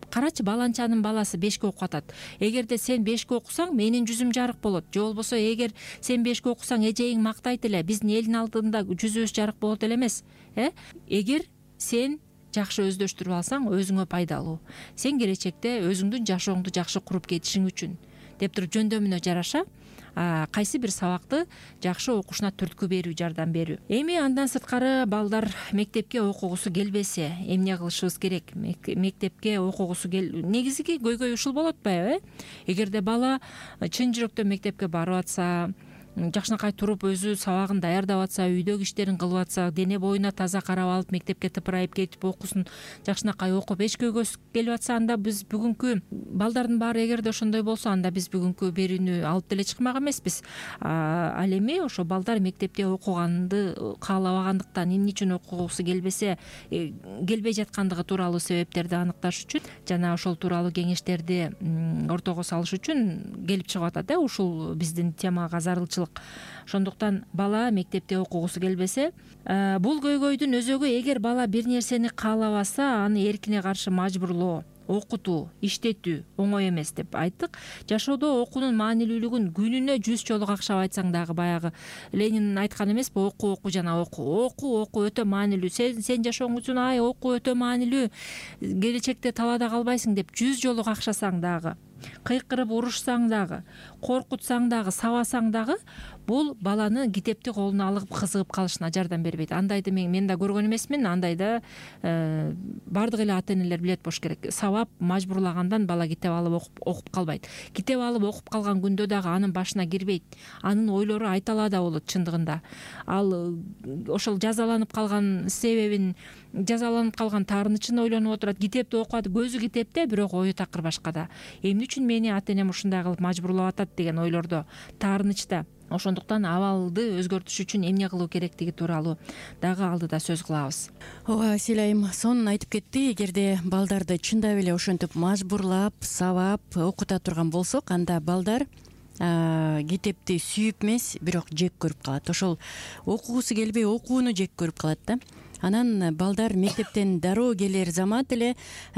Speaker 2: карачы, баланчанын баласы бешке окуп атат. Эгерде сен бешке окусаң, менин жүзүм жарык болот. Же болбосо эгер сен бешке окусаң, эжеиң мактайт эле, биздин элдин алдында жүзүбүз жарык болот эле эмес, э? Эгер сен жакшы өздөштүрүп алсаң, өзүңө пайдалуу. Сен келечекте өзүңдүн жашооңду жакшы куруп кетишиң үчүн деп туруп жөндөмүнө жараша кайсы бир сабакты жакшы окушуна түрткү берүү, жардам берүү. Эми андан сырткары балдар мектепке окугусу келбесе, эмне кылышыбыз керек? Мектепке окугусу кел... негизги көйгөй ушул болот баягы, э? Эгерде бала чын жүрөктөн мектепке барып атса, жакшынакай туруп өзү сабагын даярдап атса, үйдөгү иштерин кылып атса, дене боюна таза карап алып, мектепке тыпырайып кетип окуусун жакшынакай окуп эч көйгөйсүз келип атса, анда биз бүгүнкү балдардын баары эгерде ошондой болсо, анда биз бүгүнкү берүүнү алып деле чыкмак эмеспиз. Ал эми ошо балдар мектепте окуганды каалабагандыктан, эмне үчүн окугусу келбесе, келбей жаткандыгы тууралуу себептерди аныкташ үчүн жана ошол тууралуу кеңештерди ортого салыш үчүн келип чыгып атат, э, ушул биздин темага зарылчылык. Ошондуктан бала мектепте окугусу келбесе, бул көйгөйдүн өзөгү эгер бала бир нерсени каалабаса, аны эркине каршы мажбурлоо, окутуу, иштетүү оңой эмес деп айттык. Жашоодо окуунун маанилүүлүгүн күнүнө жүз жолу какшап айтсаң дагы баягы Ленин айткан эмеспи, окуу окуу жана окуу окуу окуу өтө маанилүү, сен сен жашооң үчүн ай окуу өтө маанилүү, келечекте талаада калбайсың деп жүз жолу какшасаң дагы, кыйкырып урушсаң дагы, коркутсаң дагы, сабасаң дагы, бул баланы китепти колуна алып кызыгып калышына жардам бербейт. Андайды мен мен да көргөн эмесмин. Андайда э, бардык эле ата энелер билет болуш керек. Сабап, мажбурлагандан бала китеп алып окуп окуп калбайт. Китеп алып окуп калган күндө дагы анын башына кирбейт. Анын ойлору айталаада болот чындыгында. Ал ошол жазаланып калган себебин, жазаланып калган таарынычын ойлонуп отурат. Китепти окуат, көзү китепте, бирок ою такыр башкада. Эмне үчүн мени ата энем ушундай кылып мажбурлап атат деген ойлордо, таарынычта. Ошондуктан абалды өзгөртүш үчүн эмне кылуу керектиги тууралуу дагы алдыда сөз кылабыз.
Speaker 3: ооба, Асель айым сонун айтып кетти. Эгерде балдарды чындап эле ошентип мажбурлап, сабап окута турган болсок, анда балдар китепти сүйүп эмес, бирок жек көрүп калат. Ошол окугусу келбей окууну жек көрүп калат да. Анан балдар мектептен дароо келер замат эле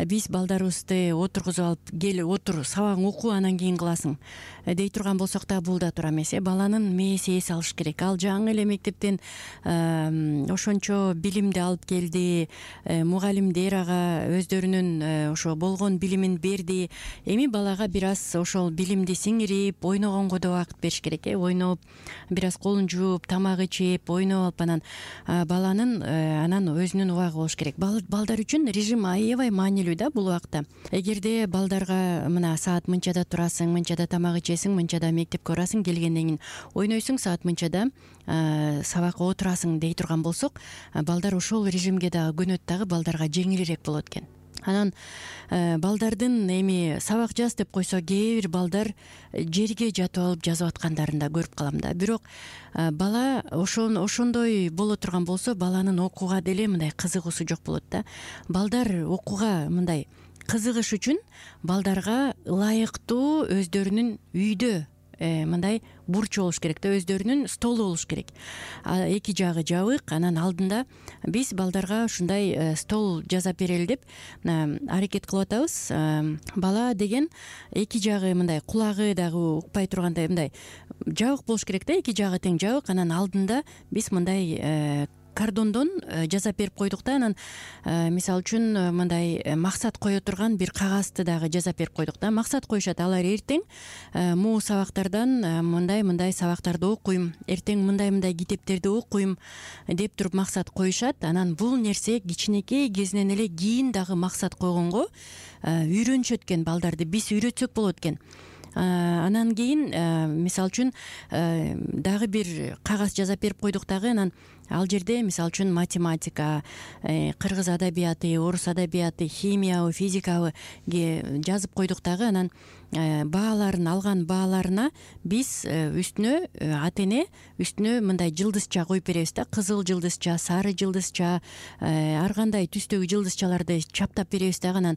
Speaker 3: биз балдарыбызды отургузуп алып, кел отур, сабагың оку, анан кийин кыласың дей турган болсок да бул да туура эмес. Баланын мээси эс алыш керек. Ал жаңы эле мектептен ошончо билимди алып келди, мугалимдер ага өздөрүнүн ошо болгон билимин берди. Эми балага бир аз ошол билимди сиңирип, ойногонго да убакыт бериш керек. э Ойноп, бир аз колун жууп, тамак ичип, ойноп алып, анан баланын анан өзүнүн убагы болуш керек. Балдар үчүн режим аябай маанилүү да бул убакта. Эгерде балдарга мына саат мынчада турасың, мынчада тамак ичесиң, мынчада мектепке барасың, келгенден кийин ойнойсуң, саат мынчада сабакка отурасың дей турган болсок, балдар ошол режимге дагы көнөт, дагы балдарга жеңилирээк болот экен. Анан балдардын эми сабак жаз деп койсо, кээ бир балдар жерге жатып алып жазып аткандарын да көрүп калам да. Бирок бала ошон ошондой боло турган болсо, баланын окууга деле мындай кызыгуусу жок болот да. Балдар окууга мындай кызыгыш үчүн балдарга ылайыктуу өздөрүнүн үйдө мындай бурчу болуш керек да, өздөрүнүн столу болуш керек. Эки жагы жабык, анан алдында биз балдарга ушундай стол жасап берели деп аракет кылып атабыз. Бала деген эки жагы мындай кулагы дагы укпай тургандай мындай жабык болуш керек да, эки жагы тең жабык. Анан алдында биз мындай кардондон жасап берип койдук да, анан мисалы үчүн мындай максат кое турган бир кагазды дагы жасап берип койдук да. Максат коюшат, алар эртең могу сабактардан мындай мындай сабактарды окуйм, эртең мындай мындай китептерди окуйм деп туруп максат коюшат. Анан бул нерсе кичинекей кезинен эле кийин дагы максат койгонго үйрөнүшөт экен балдарды, биз үйрөтсөк болот экен. Анан кийин мисалы үчүн дагы бир кагаз жасап берип койдук дагы, анан ал жерде мисалы үчүн математика, кыргыз адабияты, орус адабияты, химиябы, физикабы жазып койдук дагы. Анан бааларын алган бааларына биз үстүнө ата эне үстүнө мындай жылдызча коюп беребиз да, кызыл жылдызча, сары жылдызча, ар кандай түстөгү жылдызчаларды чаптап беребиз дагы. Анан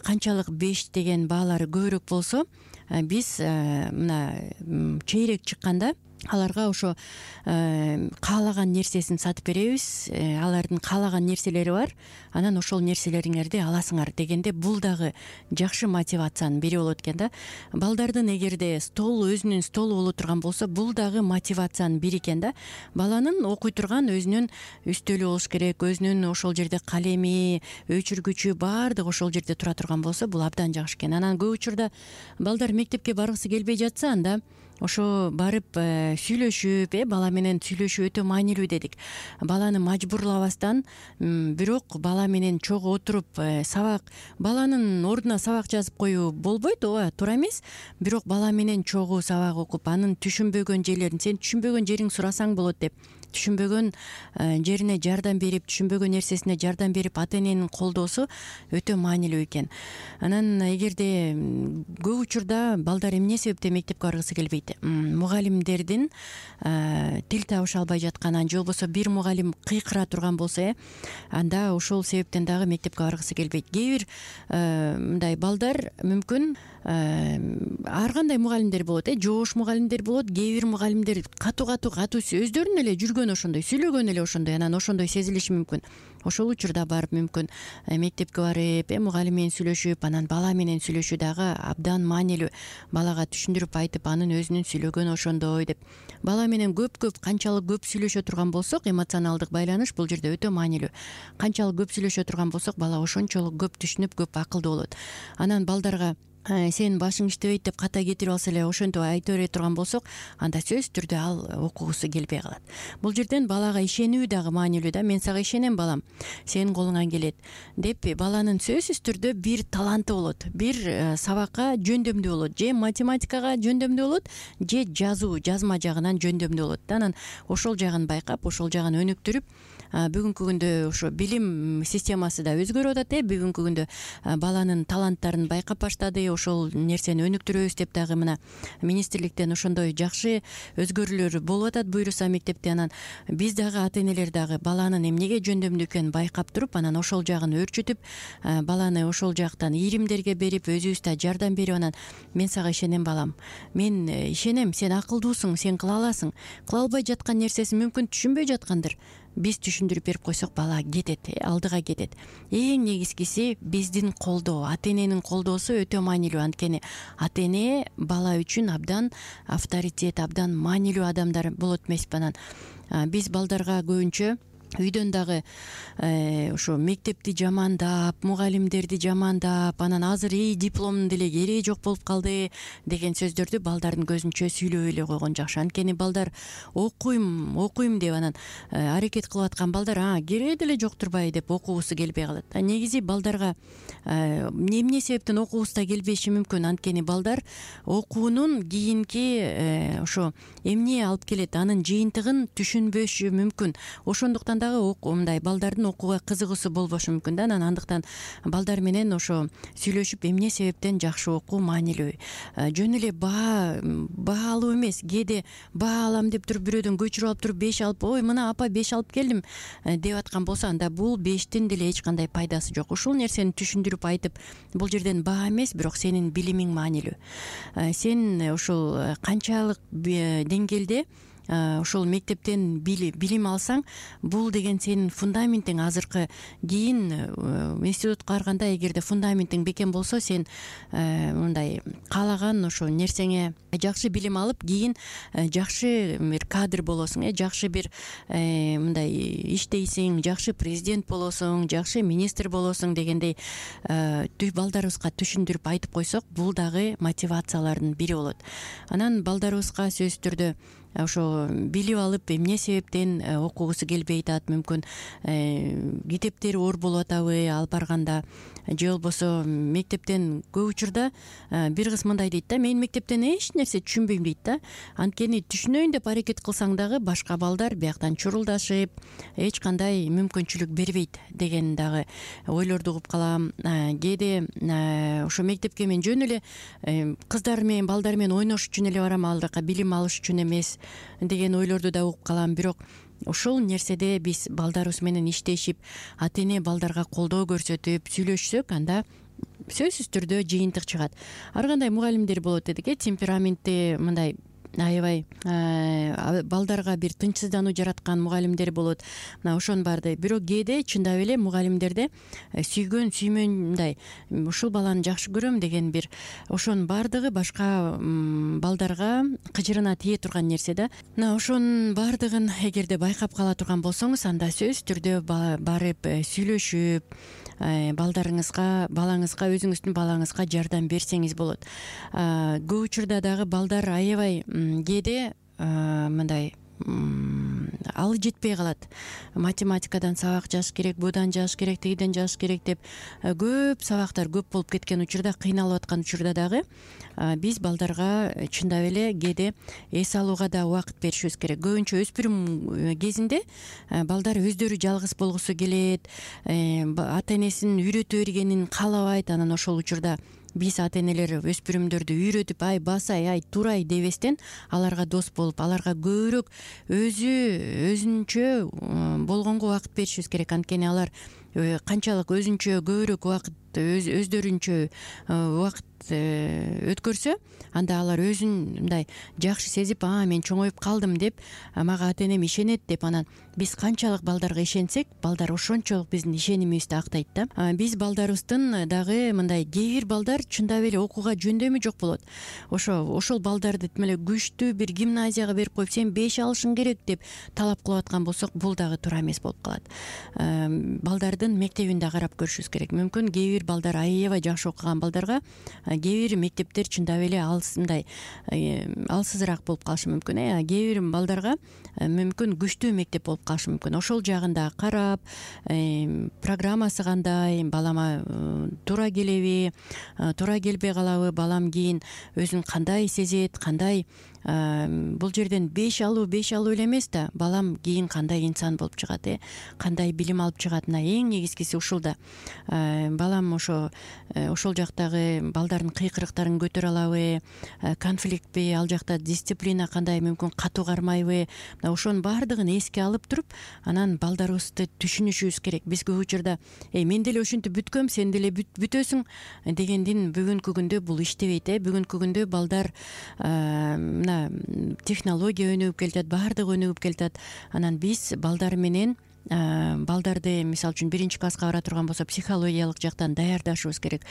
Speaker 3: канчалык беш деген баалары көбүрөөк болсо, биз мына чейрек чыкканда аларга ошо каалаган нерсесин сатып беребиз. Алардын каалаган нерселери бар, анан ошол нерселериңерди аласыңар дегенде, бул дагы жакшы мотивациянын бири болот экен да. Балдардын эгерде стол өзүнүн столу боло турган болсо, бул дагы мотивациянын бири экен да. Баланын окуй турган өзүнүн үстөлү болуш керек, өзүнүн ошол жерде калеми, өчүргүчү баардыгы ошол жерде тура турган болсо, бул абдан жакшы экен. Анан көп учурда балдар мектепке баргысы келбей жатса, анда ошо барып сүйлөшүп, э бала менен сүйлөшүү өтө маанилүү дедик. Баланы мажбурлабастан, бирок бала менен чогуу отуруп сабак, баланын ордуна сабак жазып коюу болбойт, ооба, туура эмес. Бирок бала менен чогуу сабак окуп, анын түшүнбөгөн жерлерин, сен түшүнбөгөн жериң сурасаң болот деп, түшүнбөгөн жерине жардам берип, түшүнбөгөн нерсесине жардам берип, ата эненин колдоосу өтө маанилүү экен. Анан эгерде көп учурда балдар эмне себептен мектепке баргысы келбейт? Мугалимдердин тил табыша албай жатканан, же болбосо бир мугалим кыйкыра турган болсо, э анда ошол себептен дагы мектепке баргысы келбейт. Кээ бир мындай балдар мүмкүн ар кандай мугалимдер болот, э жоош мугалимдер болот, кээ бир мугалимдер катуу катуу катуу өздөрүнүн эле жүргөн сүйлөгөн ошондой сүйлөгөн эле ошондой анан ошондой сезилиши мүмкүн. Ошол учурда барып мүмкүн мектепке барып э мугалим менен сүйлөшүп, анан бала менен сүйлөшүү дагы абдан маанилүү. Балага түшүндүрүп айтып, анын өзүнүн сүйлөгөнү ошондой деп. Бала менен көп-көп канчалык көп сүйлөшө турган болсок, эмоционалдык байланыш бул жерде өтө маанилүү. Канчалык көп сүйлөшө турган болсок, бала ошончолук көп түшүнүп, көп акылдуу болот. Анан балдарга сен башың иштебейт деп ката кетирип алса эле ошентип айта бере турган болсок, анда сөзсүз түрдө ал окугусу келбей калат. Бул жерден балага ишенүү дагы маанилүү да. Мен сага ишенем балам, сенин колуңан келет деп баланын сөзсүз түрдө бир таланты болот, бир сабакка жөндөмдүү болот, же математикага жөндөмдүү болот, же жазуу, жазма жагынан жөндөмдүү болот. Анан ошол жагын байкап, ошол жагын өнүктүрүп, бүгүнкү күндө ошо билим системасы да өзгөрүп атат э бүгүнкү күндө баланын таланттарын байкап баштады. Ошол нерсени өнүктүрөбүз деп дагы мына министрликтен ошондой жакшы өзгөрүүлөр болуп атат буйруса мектепте. Анан биз дагы ата энелер дагы баланын эмнеге жөндөмдүү экенин байкап туруп, анан ошол жагын өөрчүтүп, баланы ошол жактан ийримдерге берип, өзүбүз да жардам берип, анан мен сага ишенем балам, мен ишенем, сен акылдуусуң, сен кыла аласың. Кыла албай жаткан нерсесин мүмкүн түшүнбөй жаткандыр. Биз түшүндүрүп берип койсок, бала кетет, алдыга кетет. Эң негизгиси биздин колдоо, ата эненин колдоосу өтө маанилүү. Анткени ата эне бала үчүн абдан авторитет, абдан маанилүү адамдар болот эмеспи. Анан биз балдарга көбүнчө үйдөн дагы ошо мектепти жамандап, мугалимдерди жамандап, анан азыр ий дипломдун деле кереги жок болуп калды деген сөздөрдү балдардын көзүнчө сүйлөбөй эле койгон жакшы. Анткени балдар окуйм, окуйм деп анан аракет кылып аткан балдар а кереги деле жок турбайбы деп окугусу келбей калат. А негизи балдарга эмне себептен окугусу да келбеши мүмкүн. Анткени балдар окуунун кийинки ошо эмне алып келет, анын жыйынтыгын түшүнбөшү мүмкүн. Ошондуктан дагы мындай балдардын окууга кызыгуусу болбошу мүмкүн да. Анан андыктан балдар менен ошо сүйлөшүп, эмне себептен жакшы окуу маанилүү. Жөн эле баа баа алуу эмес, кээде баа алам деп туруп бирөөдөн көчүрүп алып туруп беш алып, ой мына апа беш алып келдим деп аткан болсо, анда бул бештин деле эч кандай пайдасы жок. Ушул нерсени түшүндүрүп айтып, бул жерден баа эмес, бирок сенин билимиң маанилүү. Сен ушул канчалык деңгээлде ошол мектептен билим алсаң, бул деген сенин фундаментиң. Азыркы кийин институтка барганда эгерде фундаментиң бекем болсо, сен мындай каалаган ошо нерсеңе жакшы билим алып, кийин жакшы бир кадр болосуң, э жакшы бир мындай иштейсиң, жакшы президент болосуң, жакшы министр болосуң дегендей балдарыбызга түшүндүрүп айтып койсок, бул дагы мотивациялардын бири болот. Анан балдарыбызга сөзсүз түрдө ошо билип алып, эмне себептен окугусу келбей атат, мүмкүн китептери оор болуп атабы алып барганда, же болбосо мектептен көп учурда бир кыз мындай дейт да, мен мектептен эч нерсе түшүнбөйм дейт да. Анткени түшүнөйүн деп аракет кылсаң дагы башка балдар бияктан чурулдашып, эч кандай мүмкүнчүлүк бербейт деген дагы ойлорду угуп калам. Кээде ошо мектепке мен жөн эле кыздар менен, балдар менен ойнош үчүн эле барам, ал жака билим алыш үчүн эмес деген ойлорду да угуп калам. Бирок ошол нерседе биз балдарыбыз менен иштешип, ата эне балдарга колдоо көрсөтүп сүйлөшсөк, анда сөзсүз түрдө жыйынтык чыгат. Ар кандай мугалимдер болот дедик, э темпераментти мындай аябай балдарга бир тынчсыздануу жараткан мугалимдер болот. Мына ошонун баарды. Бирок кээде чындап эле мугалимдерде сүйгөн, сүймөн мындай ушул баланы жакшы көрөм деген бир ошонун баардыгы башка балдарга кыжырына тие турган нерсе да. Мына ошонун баардыгын эгерде байкап кала турган болсоңуз, анда сөзсүз түрдө барып сүйлөшүп, балдарыңызга, балаңызга, өзүңүздүн балаңызга жардам берсеңиз болот. Көп учурда дагы балдар аябай кээде мындай алы жетпей калат. Математикадан сабак жазыш керек, будан жазыш керек, тигиден жазыш керек деп көп сабактар көп болуп кеткен учурда, кыйналып аткан учурда дагы биз балдарга чындап эле кээде эс алууга да убакыт беришибиз керек. Көбүнчө өспүрүм кезинде балдар өздөрү жалгыз болгусу келет, ата энесин үйрөтө бергенин каалабайт. Анан ошол учурда биз ата энелер өспүрүмдөрдү үйрөтүп, ай басай, ай турай дебестен, аларга дос болуп, аларга көбүрөөк өзү өзүнчө болгонго убакыт беришибиз керек. Анткени алар канчалык өзүнчө көбүрөөк убакыт өздөрүнчө убакыт өткөрсө анда алар өзүн мындай жакшы сезип, а мен чоңоюп калдым деп, мага ата энем ишенет деп, анан биз канчалык балдарга ишенсек, балдар ошончолук биздин ишенимибизди актайт да. Биз балдарыбыздын дагы мындай кээ бир балдар чындап эле окууга жөндөмү жок болот. Ошо ошол балдарды тим эле күчтүү бир гимназияга берип коюп, сен беш алышың керек деп талап кылып аткан болсок, бул дагы туура эмес болуп калат. Балдардын мектебин да карап көрүшүбүз керек. Мүмкүн кээ бир балдар аябай жакшы окуган балдарга кээ бир мектептер чындап эле алысындай алсызыраак болуп калышы мүмкүн. Э кээ бир балдарга мүмкүн күчтүү мектеп болуп калышы мүмкүн. Ошол жагын да карап, программасы кандай, балама туура келеби, туура келбей калабы, балам кийин өзүн кандай сезет, кандай бул жерден беш алуу беш алуу эле эмес да, балам кийин кандай инсан болуп чыгат, э кандай билим алып чыгат. Мына эң негизгиси ушул да. Балам ошо ошол жактагы балдардын кыйкырыктарын көтөрө алабы, конфликтпи, ал жакта дисциплина кандай, мүмкүн катуу кармайбы. Мына ошонун баардыгын эске алып туруп, анан балдарыбызды түшүнүшүбүз керек. Биз көп учурда эй мен деле ушинтип бүткөм, сен деле бүтөсүң дегендин бүгүнкү күндө бул иштебейт. Э бүгүнкү күндө балдар мына технология өнүгүп келатат, баардыгы өнүгүп келатат. Анан биз балдар менен балдарды мисалы үчүн биринчи класска бара турган болсо психологиялык жактан даярдашыбыз керек.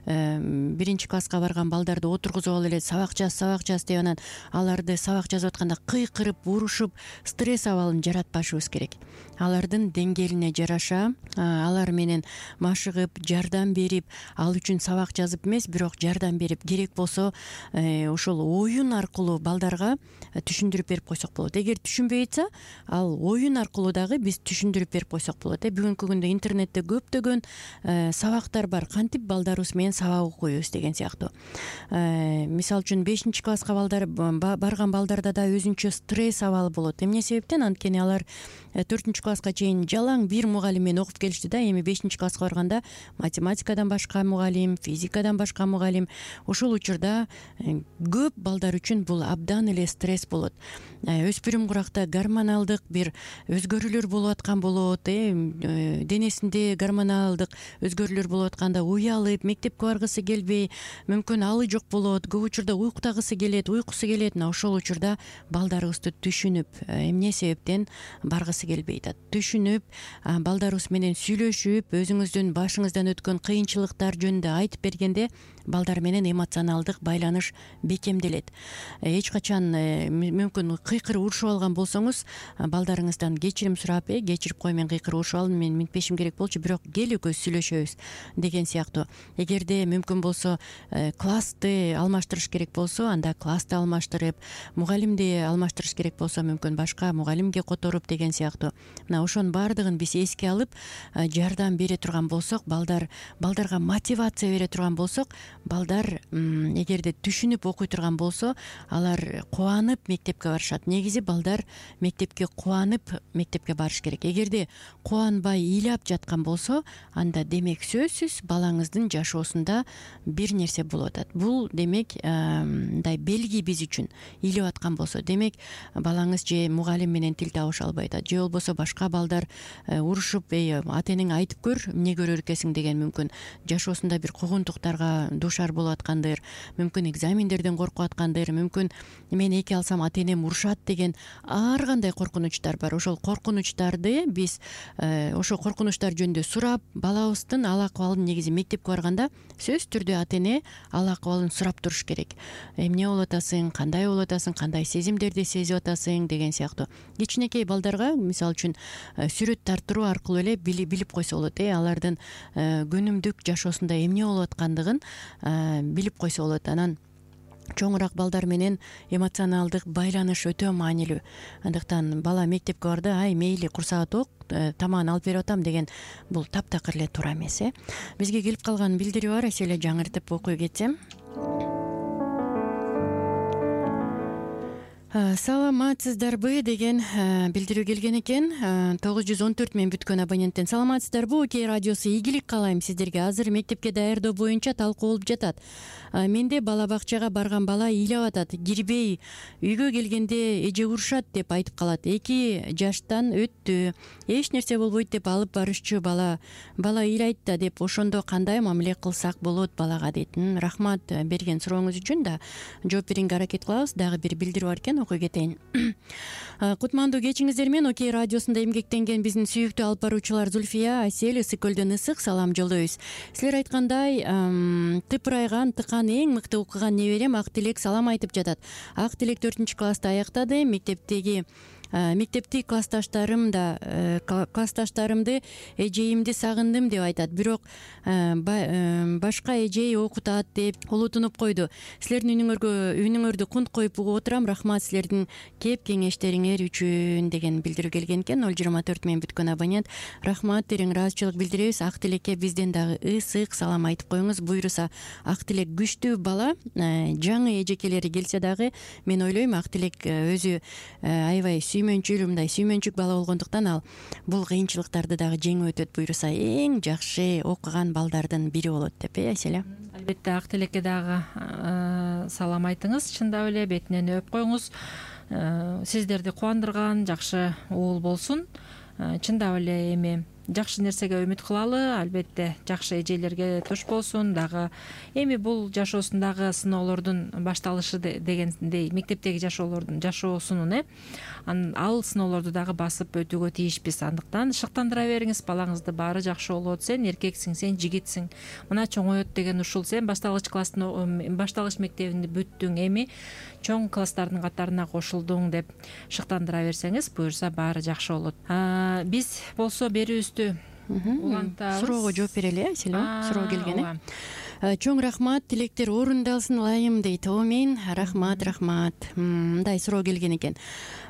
Speaker 3: Биринчи класска барган балдарды отургузуп алып эле сабак жаз, сабак жаз деп, анан аларды сабак жазып атканда кыйкырып, урушуп, стресс абалын жаратпашыбыз керек. Алардын деңгээлине жараша алар менен машыгып, жардам берип, ал үчүн сабак жазып эмес, бирок жардам берип, керек болсо ошол оюн аркылуу балдарга түшүндүрүп берип койсок болот. Эгер түшүнбөй атса, ал оюн аркылуу дагы биз түшүндүрүп берип койсок болот. Э бүгүнкү күндө интернетте көптөгөн сабактар бар. Кантип балдарыбыз менен сабак окуйбуз деген сыяктуу. Мисалы үчүн бешинчи класска балдар барган балдарда да өзүнчө стресс абалы болот. Эмне себептен? Анткени алар төртүнчү класска чейин жалаң бир мугалим менен окуп келишти да. Эми бешинчи класска барганда математикадан башка мугалим, физикадан башка мугалим. Ошол учурда көп балдар үчүн бул абдан эле стресс болот. Өспүрүм куракта гормоналдык бир өзгөрүүлөр болуп аткан болот. Э денесинде гормоналдык өзгөрүүлөр болуп атканда уялып, мектепке баргысы келбей, мүмкүн алы жок болот. Көп учурда уйкутагысы келет, уйкусу келет. Мына ошол учурда балдарыбызды түшүнүп, эмне себептен баргысы келбей атат, түшүнүп, балдарыбыз менен сүйлөшүп, өзүңүздүн башыңыздан өткөн кыйынчылыктар жөнүндө айтып бергенде балдар менен эмоционалдык байланыш бекемделет. Эч качан мүмкүн кыйкырып урушуп алган болсоңуз, балдарыңыздан кечирим сурап, э кечирип кой, мен кыйкырып урушуп алдым, мен минтпешим керек болчу, бирок кел экөөбүз сүйлөшөбүз деген сыяктуу. Эгерде мүмкүн болсо классты алмаштырыш керек болсо, анда классты алмаштырып, мугалимди алмаштырыш керек болсо, мүмкүн башка мугалимге которуп деген сыяктуу. Мына ошонун баардыгын биз эске алып, жардам бере турган болсок, балдар балдарга мотивация бере турган болсок, балдар эгерде түшүнүп окуй турган болсо, алар кубанып мектепке барышат. Негизи балдар мектепке кубанып мектепке барыш керек. Эгерде кубанбай ыйлап жаткан болсо, анда демек сөзсүз балаңыздын жашоосунда бир нерсе болуп атат. Бул демек мындай белги биз үчүн. Ыйлап аткан болсо, демек балаңыз же мугалим менен тил табыша албай атат, же болбосо башка балдар урушуп, эй ата энеңе айтып көр, эмне көрөр экенсиң деген мүмкүн жашоосунда бир куугунтуктарга душар болуп аткандыр, мүмкүн экзамендерден коркуп аткандыр, мүмкүн мен эки алсам ата энем урушат деген ар кандай коркунучтар бар. Ошол коркунучтарды биз ошо коркунучтар жөнүндө сурап, балабыздын ал акыбалын негизи мектепке барганда сөзсүз түрдө ата эне ал акыбалын сурап туруш керек. Эмне болуп атасың, кандай болуп атасың, кандай сезимдерди сезип атасың деген сыяктуу. Кичинекей балдарга мисалы үчүн сүрөт тартыруу аркылуу эле билип койсо болот. Э алардын күнүмдүк жашоосунда эмне болуп аткандыгын билип койсо болот. Анан чоңураак балдар менен эмоционалдык байланыш өтө маанилүү. Андыктан бала мектепке барда, ай мейли курсагат ок, тамагын алып берип атам деген бул таптакыр эле туура эмес. Э бизге келип калган билдирүү бар, эсе эле жаңыртып окуй кетсем. Саламатсыздарбы деген билдирүү келген экен. тогуз жүз он төрт мен бүткөн абоненттен. Саламатсыздарбы, Окей радиосу. Ийгилик каалайм сиздерге. Азыр мектепке даярдоо боюнча талкуу болуп жатат. Менде бала бакчага барган бала ыйлап атат. Кирбей, үйгө келгенде эже урушат деп айтып калат. эки жаштан өттү. Эч нерсе болбойт деп алып барышчу бала. Бала ыйлайт да деп, ошондо кандай мамиле кылсак болот балага дейт. Рахмат берген сурооңуз үчүн да жооп берүүгө аракет кылабыз. Дагы бир билдирүү бар экен, окуй кетейин. Кутмандуу кечиңиздер менен Окей радиосунда эмгектенген биздин сүйүктүү алып баруучулар Зульфия, Асель, Ысык көлдөн ысык салам жолдойбуз. Силер айткандай, тыпырайган, тыкан эң мыкты окуган неберем Ак Тилек салам айтып жатат. Ак Тилек төртүнчү класста аяктады. Мектептеги мектепти классташтарым да классташтарымды эжейимди сагындым деп айтат. Бирок башка эжей окутат деп улутунуп койду. Силердин үнүңөргө үнүңөрдү кунт коюп угуп отурам. Рахмат силердин кеп кеңештериңер үчүн деген билдирүү келген экен. ноль жыйырма төрт мен бүткөн абонент. Рахмат, терең ыраазычылык билдиребиз. Ак Тилекке бизден дагы ысык салам айтып коюңуз. Буйруса, Ак Тилек күчтүү бала. Жаңы эжекелери келсе дагы мен ойлойм Ак Тилек өзү аябай сүймөнчүл, мындай сүймөнчүк бала болгондуктан ал бул кыйынчылыктарды дагы жеңип өтөт. Буйруса, эң жакшы окуган балдардын бири болот деп, э, Аселя?
Speaker 2: Албетте, Ак Тилекке дагы салам айтыңыз. Чындап эле бетинен өп коюңуз. Сиздерди кубандырган жакшы уул болсун. Чындап эле эми жакшы нерсеге үмүт кылалы. Албетте, жакшы эжелерге туш болсун. Дагы эми бул жашоосундагы сыноолордун башталышы дегендей, мектептеги жашоолордун жашоосунун э ал сыноолорду дагы басып өтүүгө тийишпиз. Андыктан шыктандыра бериңиз балаңызды. Баары жакшы болот. Сен эркексиң, сен жигитсиң. Мына чоңоет деген ушул. Сен башталгыч класстын башталгыч мектебинди бүттүң, эми чоң класстардын катарына кошулдуң деп шыктандыра берсеңиз, буюрса баары жакшы болот. Биз болсо берүүбүздү улантабыз.
Speaker 3: Суроого жооп берели, Аселя. Суроо келген э. Чоң рахмат, тилектер орундалсын ылайым дейт. Омин, рахмат, рахмат. Мындай суроо келген экен.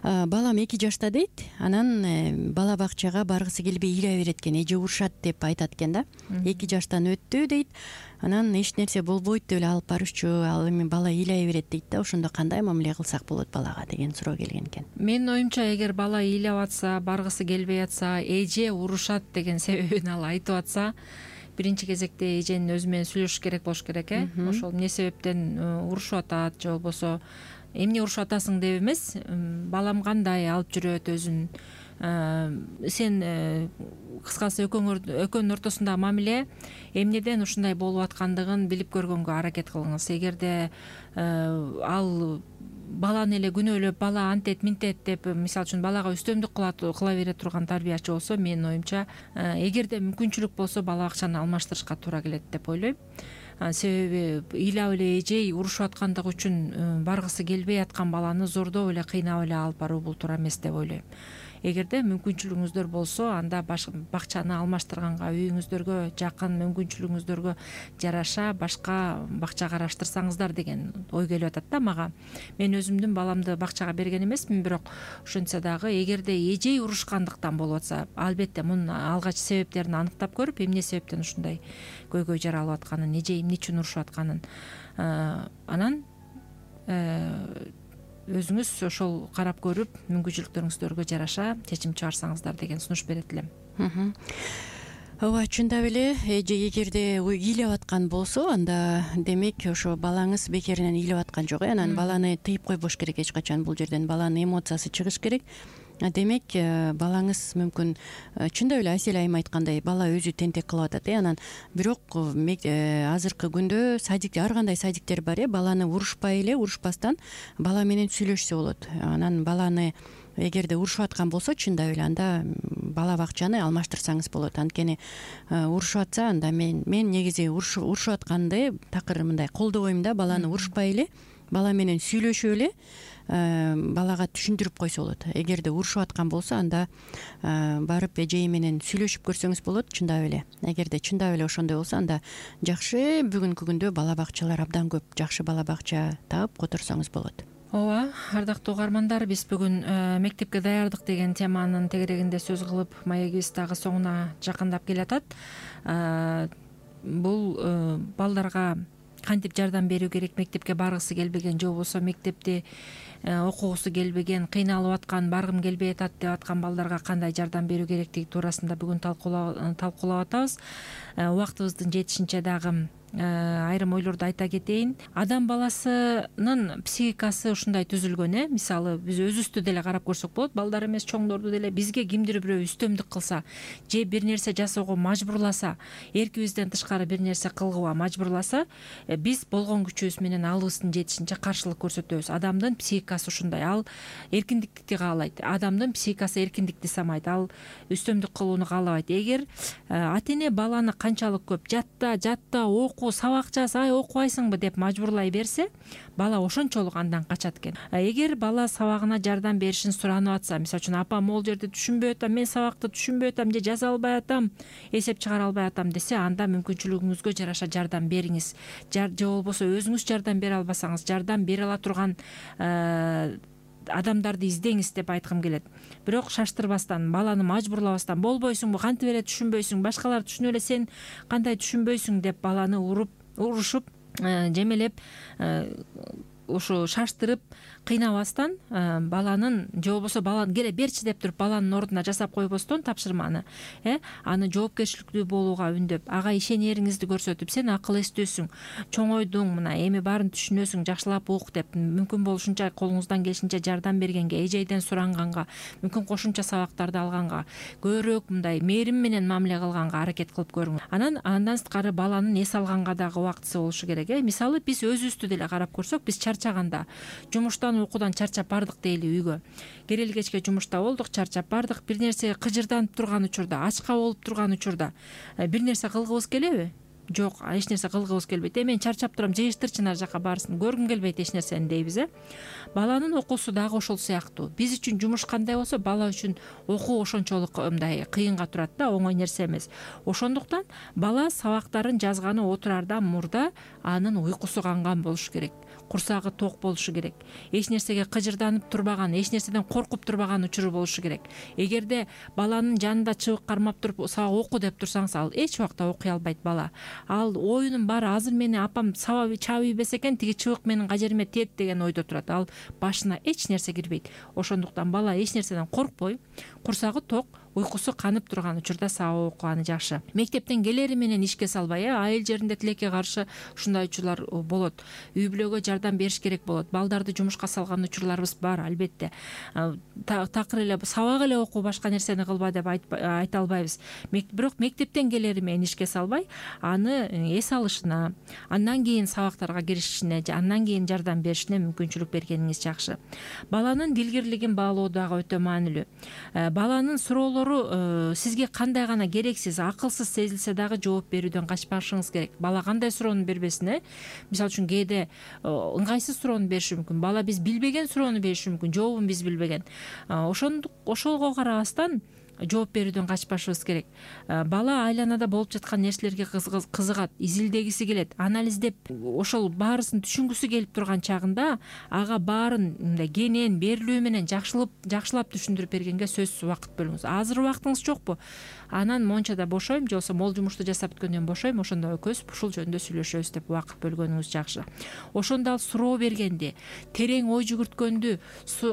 Speaker 3: Балам эки жашта дейт. Анан бала бакчага баргысы келбей ыйлай берет экен. Эже урушат деп айтат экен да. эки жаштан өттү дейт. Анан эч нерсе болбойт деп эле алып барышчу. Ал эми бала ыйлай берет дейт да. Ошондо кандай мамиле кылсак болот балага деген суроо келген экен.
Speaker 2: Менин оюмча, эгер бала ыйлап атса, баргысы келбей атса, эже урушат деген себебин ал айтып атса, биринчи кезекте эженин өзү менен сүйлөшүш керек болуш керек, э. Ошол эмне себептен урушуп атат, же болбосо эмне урушуп атасың деп эмес, балам кандай алып жүрөт өзүн, сен кыскасы экөөнүн ортосундагы мамиле эмнеден ушундай болуп аткандыгын билип көргөнгө аракет кылыңыз. Эгерде ал баланы эле күнөөлөп, бала антет минтет деп, мисалы үчүн балага үстөмдүк кыла бере турган тарбиячы болсо, менин оюмча, эгерде мүмкүнчүлүк болсо бала бакчаны алмаштырышка туура келет деп ойлойм. Себеби ыйлап эле эжей урушуп аткандыгы үчүн баргысы келбей аткан баланы зордоп эле кыйнап эле алып баруу бул туура эмес деп ойлойм. Эгерде мүмкүнчүлүгүңүздөр болсо, анда бакчаны алмаштырганга, үйүңүздөргө жакын, мүмкүнчүлүгүңүздөргө жараша башка бакча караштырсаңыздар деген ой келип атат да мага. Мен өзүмдүн баламды бакчага берген эмесмин, бирок ошентсе дагы эгерде эжей урушкандыктан болуп атса, албетте мунун алгач себептерин аныктап көрүп, эмне себептен ушундай көйгөй жаралып атканын, эжей эмне үчүн урушуп атканын, анан өзүңүз ошол карап көрүп, мүмкүнчүлүктөрүңүздөргө жараша чечим чыгарсаңыздар деген сунуш берет элем.
Speaker 3: Ооба, чындап эле, эже эгерде ыйлап аткан болсо, анда демек ошо балаңыз бекеринен ыйлап аткан жок. Анан баланы тыйып койбош керек эч качан. Бул жерден баланын эмоциясы чыгыш керек. Демек балаңыз мүмкүн чындап эле Асель айым айткандай бала өзү тентек кылып атат, э. Анан бирок азыркы күндө садик, ар кандай садиктер бар, э. Баланы урушпай эле, урушпастан бала менен сүйлөшсө болот. Анан баланы эгерде урушуп аткан болсо, чындап эле анда бала бакчаны алмаштырсаңыз болот. Анткени урушуп атса, анда мен мен негизи урушуп атканды такыр мындай колдобойм да. Баланы урушпай эле, бала менен сүйлөшүп эле балага түшүндүрүп койсо болот. Эгерде урушуп аткан болсо, анда барып эжеи менен сүйлөшүп көрсөңүз болот. Чындап эле, эгерде чындап эле ошондой болсо, анда жакшы бүгүнкү күндө бала бакчалар абдан көп. Жакшы бала бакча таап которсоңуз болот.
Speaker 2: Ооба, ардактуу угармандар, биз бүгүн мектепке даярдык деген теманын тегерегинде сөз кылып, маегибиз дагы соңуна жакындап келатат. Бул балдарга кантип жардам берүү керек, мектепке баргысы келбеген же болбосо мектепти окугусу келбеген, кыйналып аткан, баргым келбей атат деп аткан балдарга кандай жардам берүү керектиги туурасында бүгүн талкуулап атабыз. Убактыбыздын жетишинче дагы айрым ойлорду айта кетейин. Адам баласынын психикасы ушундай түзүлгөн, э мисалы биз өзүбүздү деле карап көрсөк болот, балдар эмес чоңдорду деле. Бизге кимдир бирөө үстөмдүк кылса же бир нерсе жасоого мажбурласа, эркибизден тышкары бир нерсе кылгыга мажбурласа, биз болгон күчүбүз менен алыбыздын жетишинче каршылык көрсөтөбүз. Адамдын психикасы ушундай, ал эркиндикти каалайт. Адамдын психикасы эркиндикти самайт, ал үстөмдүк кылууну каалабайт. Эгер ата эне баланы канчалык көп жатта, жатта, оку, сабак жаз, ай окубайсыңбы деп мажбурлай берсе, бала ошончолук андан качат экен. Эгер бала сабагына жардам беришин суранып атса, мисалы үчүн апам могул жерде түшүнбөй атам, мен сабакты түшүнбөй атам же жаза албай атам, эсеп чыгара албай атам десе, анда мүмкүнчүлүгүңүзгө жараша жардам бериңиз. Же болбосо өзүңүз жардам бере албасаңыз, жардам бере ала турган адамдарды издеңиз деп айткым келет. Бирок шаштырбастан, баланы мажбурлабастан, болбойсуңбу, кантип эле түшүнбөйсүң, башкалар түшүнүп эле сен кандай түшүнбөйсүң деп баланы уруп, урушуп, жемелеп, ушу шаштырып кыйнабастан, баланын же болбосо баланы келе берчи деп туруп баланын ордуна жасап койбостон тапшырманы, э аны жоопкерчиликтүү болууга үндөп, ага ишенериңизди көрсөтүп, сен акыл эстүүсүң, чоңойдуң, мына эми баарын түшүнөсүң, жакшылап ук деп, мүмкүн болушунча колуңуздан келишинче жардам бергенге, эжейден суранганга, мүмкүн кошумча сабактарды алганга, көбүрөөк мындай мээрим менен мамиле кылганга аракет кылып көрүңүз. Анан андан сырткары баланын эс алганга дагы убактысы болушу керек. Э мисалы биз өзүбүздү деле карап көрсөк, биз чарчаганда, жумуштан, окуудан чарчап бардык дейли, үйгө керели кечке жумушта болдук, чарчап бардык, бир нерсе кыжырданып турган учурда, ачка болуп турган учурда бир нерсе кылгыбыз келеби? Жок, эч нерсе кылгыбыз келбейт. Э мен чарчап турам, жыйыштырчы нар жака баарысын, көргүм келбейт эч нерсени дейбиз. Э баланын окуусу дагы ошол сыяктуу. Биз үчүн жумуш кандай болсо, бала үчүн окуу ошончолук мындай кыйынга турат да, оңой нерсе эмес. Ошондуктан бала сабактарын жазганы отурардан мурда анын уйкусу канган болушу керек, курсагы ток болушу керек, эч нерсеге кыжырданып турбаган, эч нерседен коркуп турбаган учуру болушу керек. Эгерде баланын жанында чыбык кармап туруп сабак оку деп турсаңыз, ал эч убакта окуй албайт бала. Ал оюнун баары азыр мени апам сабап чаап ийбесе экен, тиги чыбык менин кажериме тиет деген ойдо турат. Ал башына эч нерсе кирбейт. Ошондуктан бала эч нерседен коркпой, курсагы ток, уйкусу канып турган учурда сабак окуганы жакшы. Мектептен келери менен ишке салбай, э айыл жеринде тилекке каршы ушундай учурлар болот. Үй бүлөгө жардам бериш керек болот. Балдарды жумушка салган учурларыбыз бар, албетте. Такыр эле сабак эле окуу, башка нерсени кылба деп айта албайбыз. Бирок мектептен келери менен ишке салбай, аны эс алышына, андан кийин сабактарга киришине, андан кийин жардам беришине мүмкүнчүлүк бергениңиз жакшы. Баланын дилгирлигин баалоо дагы өтө маанилүү. Баланын суроолору сизге кандай гана керексиз, акылсыз сезилсе дагы жооп берүүдөн качпашыңыз керек. Бала кандай суроону бербесин, э мисалы үчүн кээде ыңгайсыз суроону бериши мүмкүн. Бала биз билбеген суроону бериши мүмкүн, жообун биз билбеген. Ошондук ошолго карабастан жооп берүүдөн качпашыбыз керек. Бала айланада болуп жаткан нерселерге кызыгат, изилдегиси келет, анализдеп, ошол баарысын түшүнгүсү келип турган чагында ага баарын мындай кенен берилүү менен жакшылап жакшылап түшүндүрүп бергенге сөзсүз убакыт бөлүңүз. Азыр убактыңыз жокпу? Анан мончада бошойм, же болбосо могул жумушту жасап бүткөндөн бошойм, ошондо экөөбүз ушул жөнүндө сүйлөшөбүз деп убакыт бөлгөнүңүз жакшы. Ошондо ал суроо бергенди, терең ой жүгүрткөндү,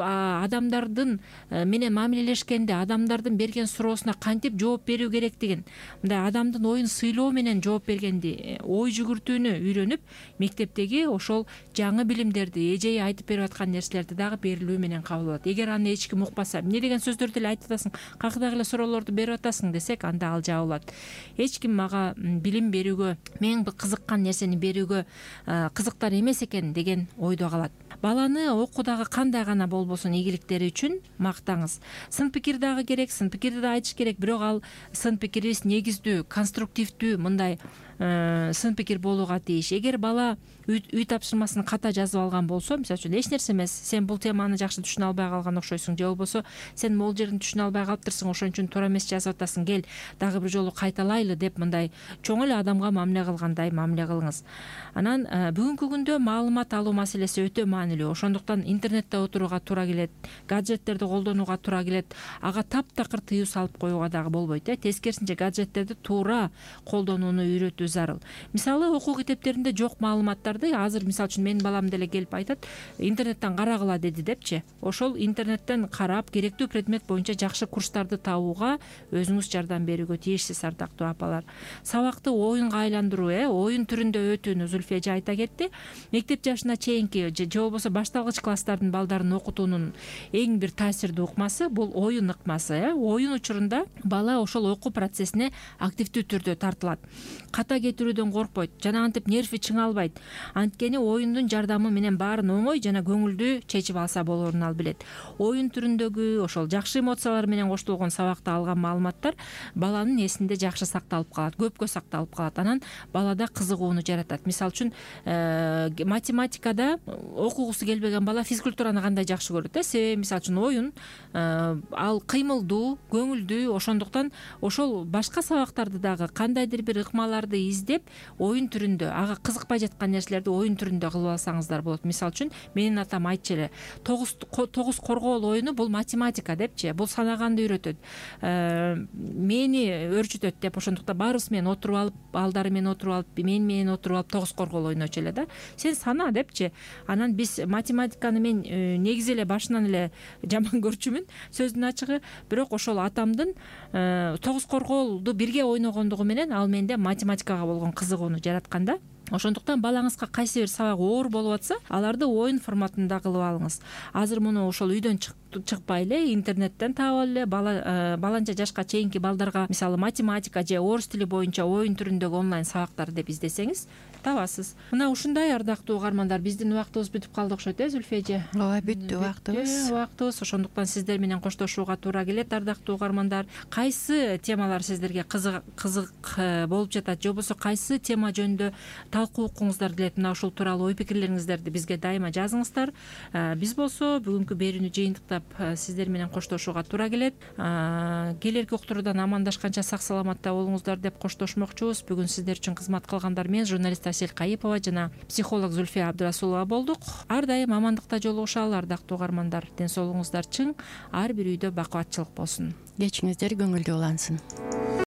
Speaker 2: адамдардын менен мамилелешкенде, адамдардын берген суроосуна кантип жооп берүү керектигин, мындай адамдын оюн сыйлоо менен жооп бергенди, ой жүгүртүүнү үйрөнүп, мектептеги ошол жаңы билимдерди, эжеи айтып берип аткан нерселерди дагы берилүү менен кабыл алат. Эгер аны эч ким укпаса, эмне деген сөздөрдү эле айтып атасың, кайдагы эле суроолорду берип атасың десек, анда ал жабылат. Эч ким мага билим берүүгө, мен кызыккан нерсени берүүгө кызыктар эмес экен деген ойдо калат. Баланы окуудагы кандай гана болбосун ийгиликтери үчүн мактаңыз. Сын пикир дагы керек, сын пикирди да айтыш керек, бирок ал сын пикирибиз негиздүү, конструктивдүү, мындай сын пикир болууга тийиш. Эгер бала үй тапшырмасын ката жазып алган болсо, мисалы үчүн эч нерсе эмес, сен бул теманы жакшы түшүнө албай калган окшойсуң, же болбосо сен могул жерин түшүнө албай калыптырсың, ошон үчүн туура эмес жазып атасың, кел дагы бир жолу кайталайлы деп мындай чоң эле адамга мамиле кылгандай мамиле кылыңыз. Анан бүгүнкү күндө маалымат алуу маселеси өтө маанилүү. Ошондуктан интернетте отурууга туура келет, гаджеттерди колдонууга туура келет. Ага таптакыр тыюу салып коюуга дагы болбойт э тескерисинче гаджеттерди туура колдонууну үйрөтүү зарыл. Мисалы окуу китептеринде жок маалыматтарды азыр мисалы үчүн менин балам деле келип айтат, интернеттен карагыла деди депчи. Ошол интернеттен карап керектүү предмет боюнча жакшы курстарды табууга өзүңүз жардам берүүгө тийишсиз, ардактуу апалар. Сабакты оюнга айландыруу, э оюн түрүндө өтүүнү Зульфия эже айта кетти. Мектеп жашына чейинки же болбосо башталгыч класстардын балдарын окутуунун эң бир таасирдүү ыкмасы бул оюн ыкмасы. э Оюн учурунда бала ошол окуу процессине активдүү түрдө тартылат. Ката кетирүүдөн коркпойт жана антип нерви чыңалбайт. Анткени оюндун жардамы менен баарын оңой жана көңүлдүү чечип алса болоорун ал билет. Оюн түрүндөгү ошол жакшы эмоциялар менен коштолгон сабакта алган маалыматтар баланын эсинде жакшы сакталып калат, көпкө сакталып калат. Анан балада кызыгууну жаратат. Мисалы үчүн математикада окугусу келбеген бала физкультураны кандай жакшы көрөт э себеби мисалы үчүн оюн ал кыймылдуу, көңүлдүү, ошондуктан ошол башка сабактарды дагы кандайдыр бир ыкмаларды издеп оюн түрүндө, ага кызыкпай жаткан нерселерди оюн түрүндө кылып алсаңыздар болот. Мисалы үчүн менин атам айтчу эле, тогуз тогуз коргоол оюну бул математика депчи, бул санаганды үйрөтөт, мени өрчүтөт деп. Ошондуктан баарыбыз менен отуруп алып, балдары менен отуруп алып, мен менен отуруп алып тогуз коргоол ойночу эле да. Сен сана депчи. Анан биз математиканы мен негизи эле башынан эле жаман көрчүмүн, сөздүн ачыгы. Бирок ошол атамдын тогуз коргоолду бирге ойногондугу менен ал менде математикага болгон кызыгууну жараткан да. Ошондуктан балаңызга кайсы бир сабак оор болуп атса, аларды оюн форматында кылып алыңыз. Азыр муну ошол үйдөн чыкпай эле интернеттен таап эле бала баланча жашка чейинки балдарга мисалы математика же орус тили боюнча оюн түрүндөгү онлайн сабактар деп издесеңиз табасыз. Мына ушундай, ардактуу угармандар, биздин убактыбыз бүтүп калды окшойт э Зульфия эже.
Speaker 3: Ооба, бүттү убактыбыз.
Speaker 2: Убактыбыз. Ошондуктан сиздер менен коштошууга туура келет, ардактуу угармандар. Кайсы темалар сиздерге кызык кызык болуп жатат, же болбосо кайсы тема жөнүндө талкуу укуңуздар келет, мына ушул тууралуу ой пикирлериңиздерди бизге дайыма жазыңыздар. Биз болсо бүгүнкү берүүнү жыйынтыктап сиздер менен коштошууга туура келет. Келерки уктуруудан амандашканча сак саламатта болуңуздар деп коштошмокчубуз. Бүгүн сиздер үчүн кызмат кылгандар мен, журналист Асель Кайыпова жана психолог Зульфия Абдрасулова болдук. Ар дайым амандыкта жолугушалы, ардактуу угармандар. Ден соолугуңуздар чың, ар бир үйдө бакубатчылык болсун.
Speaker 3: Кечиңиздер көңүлдүү улансын.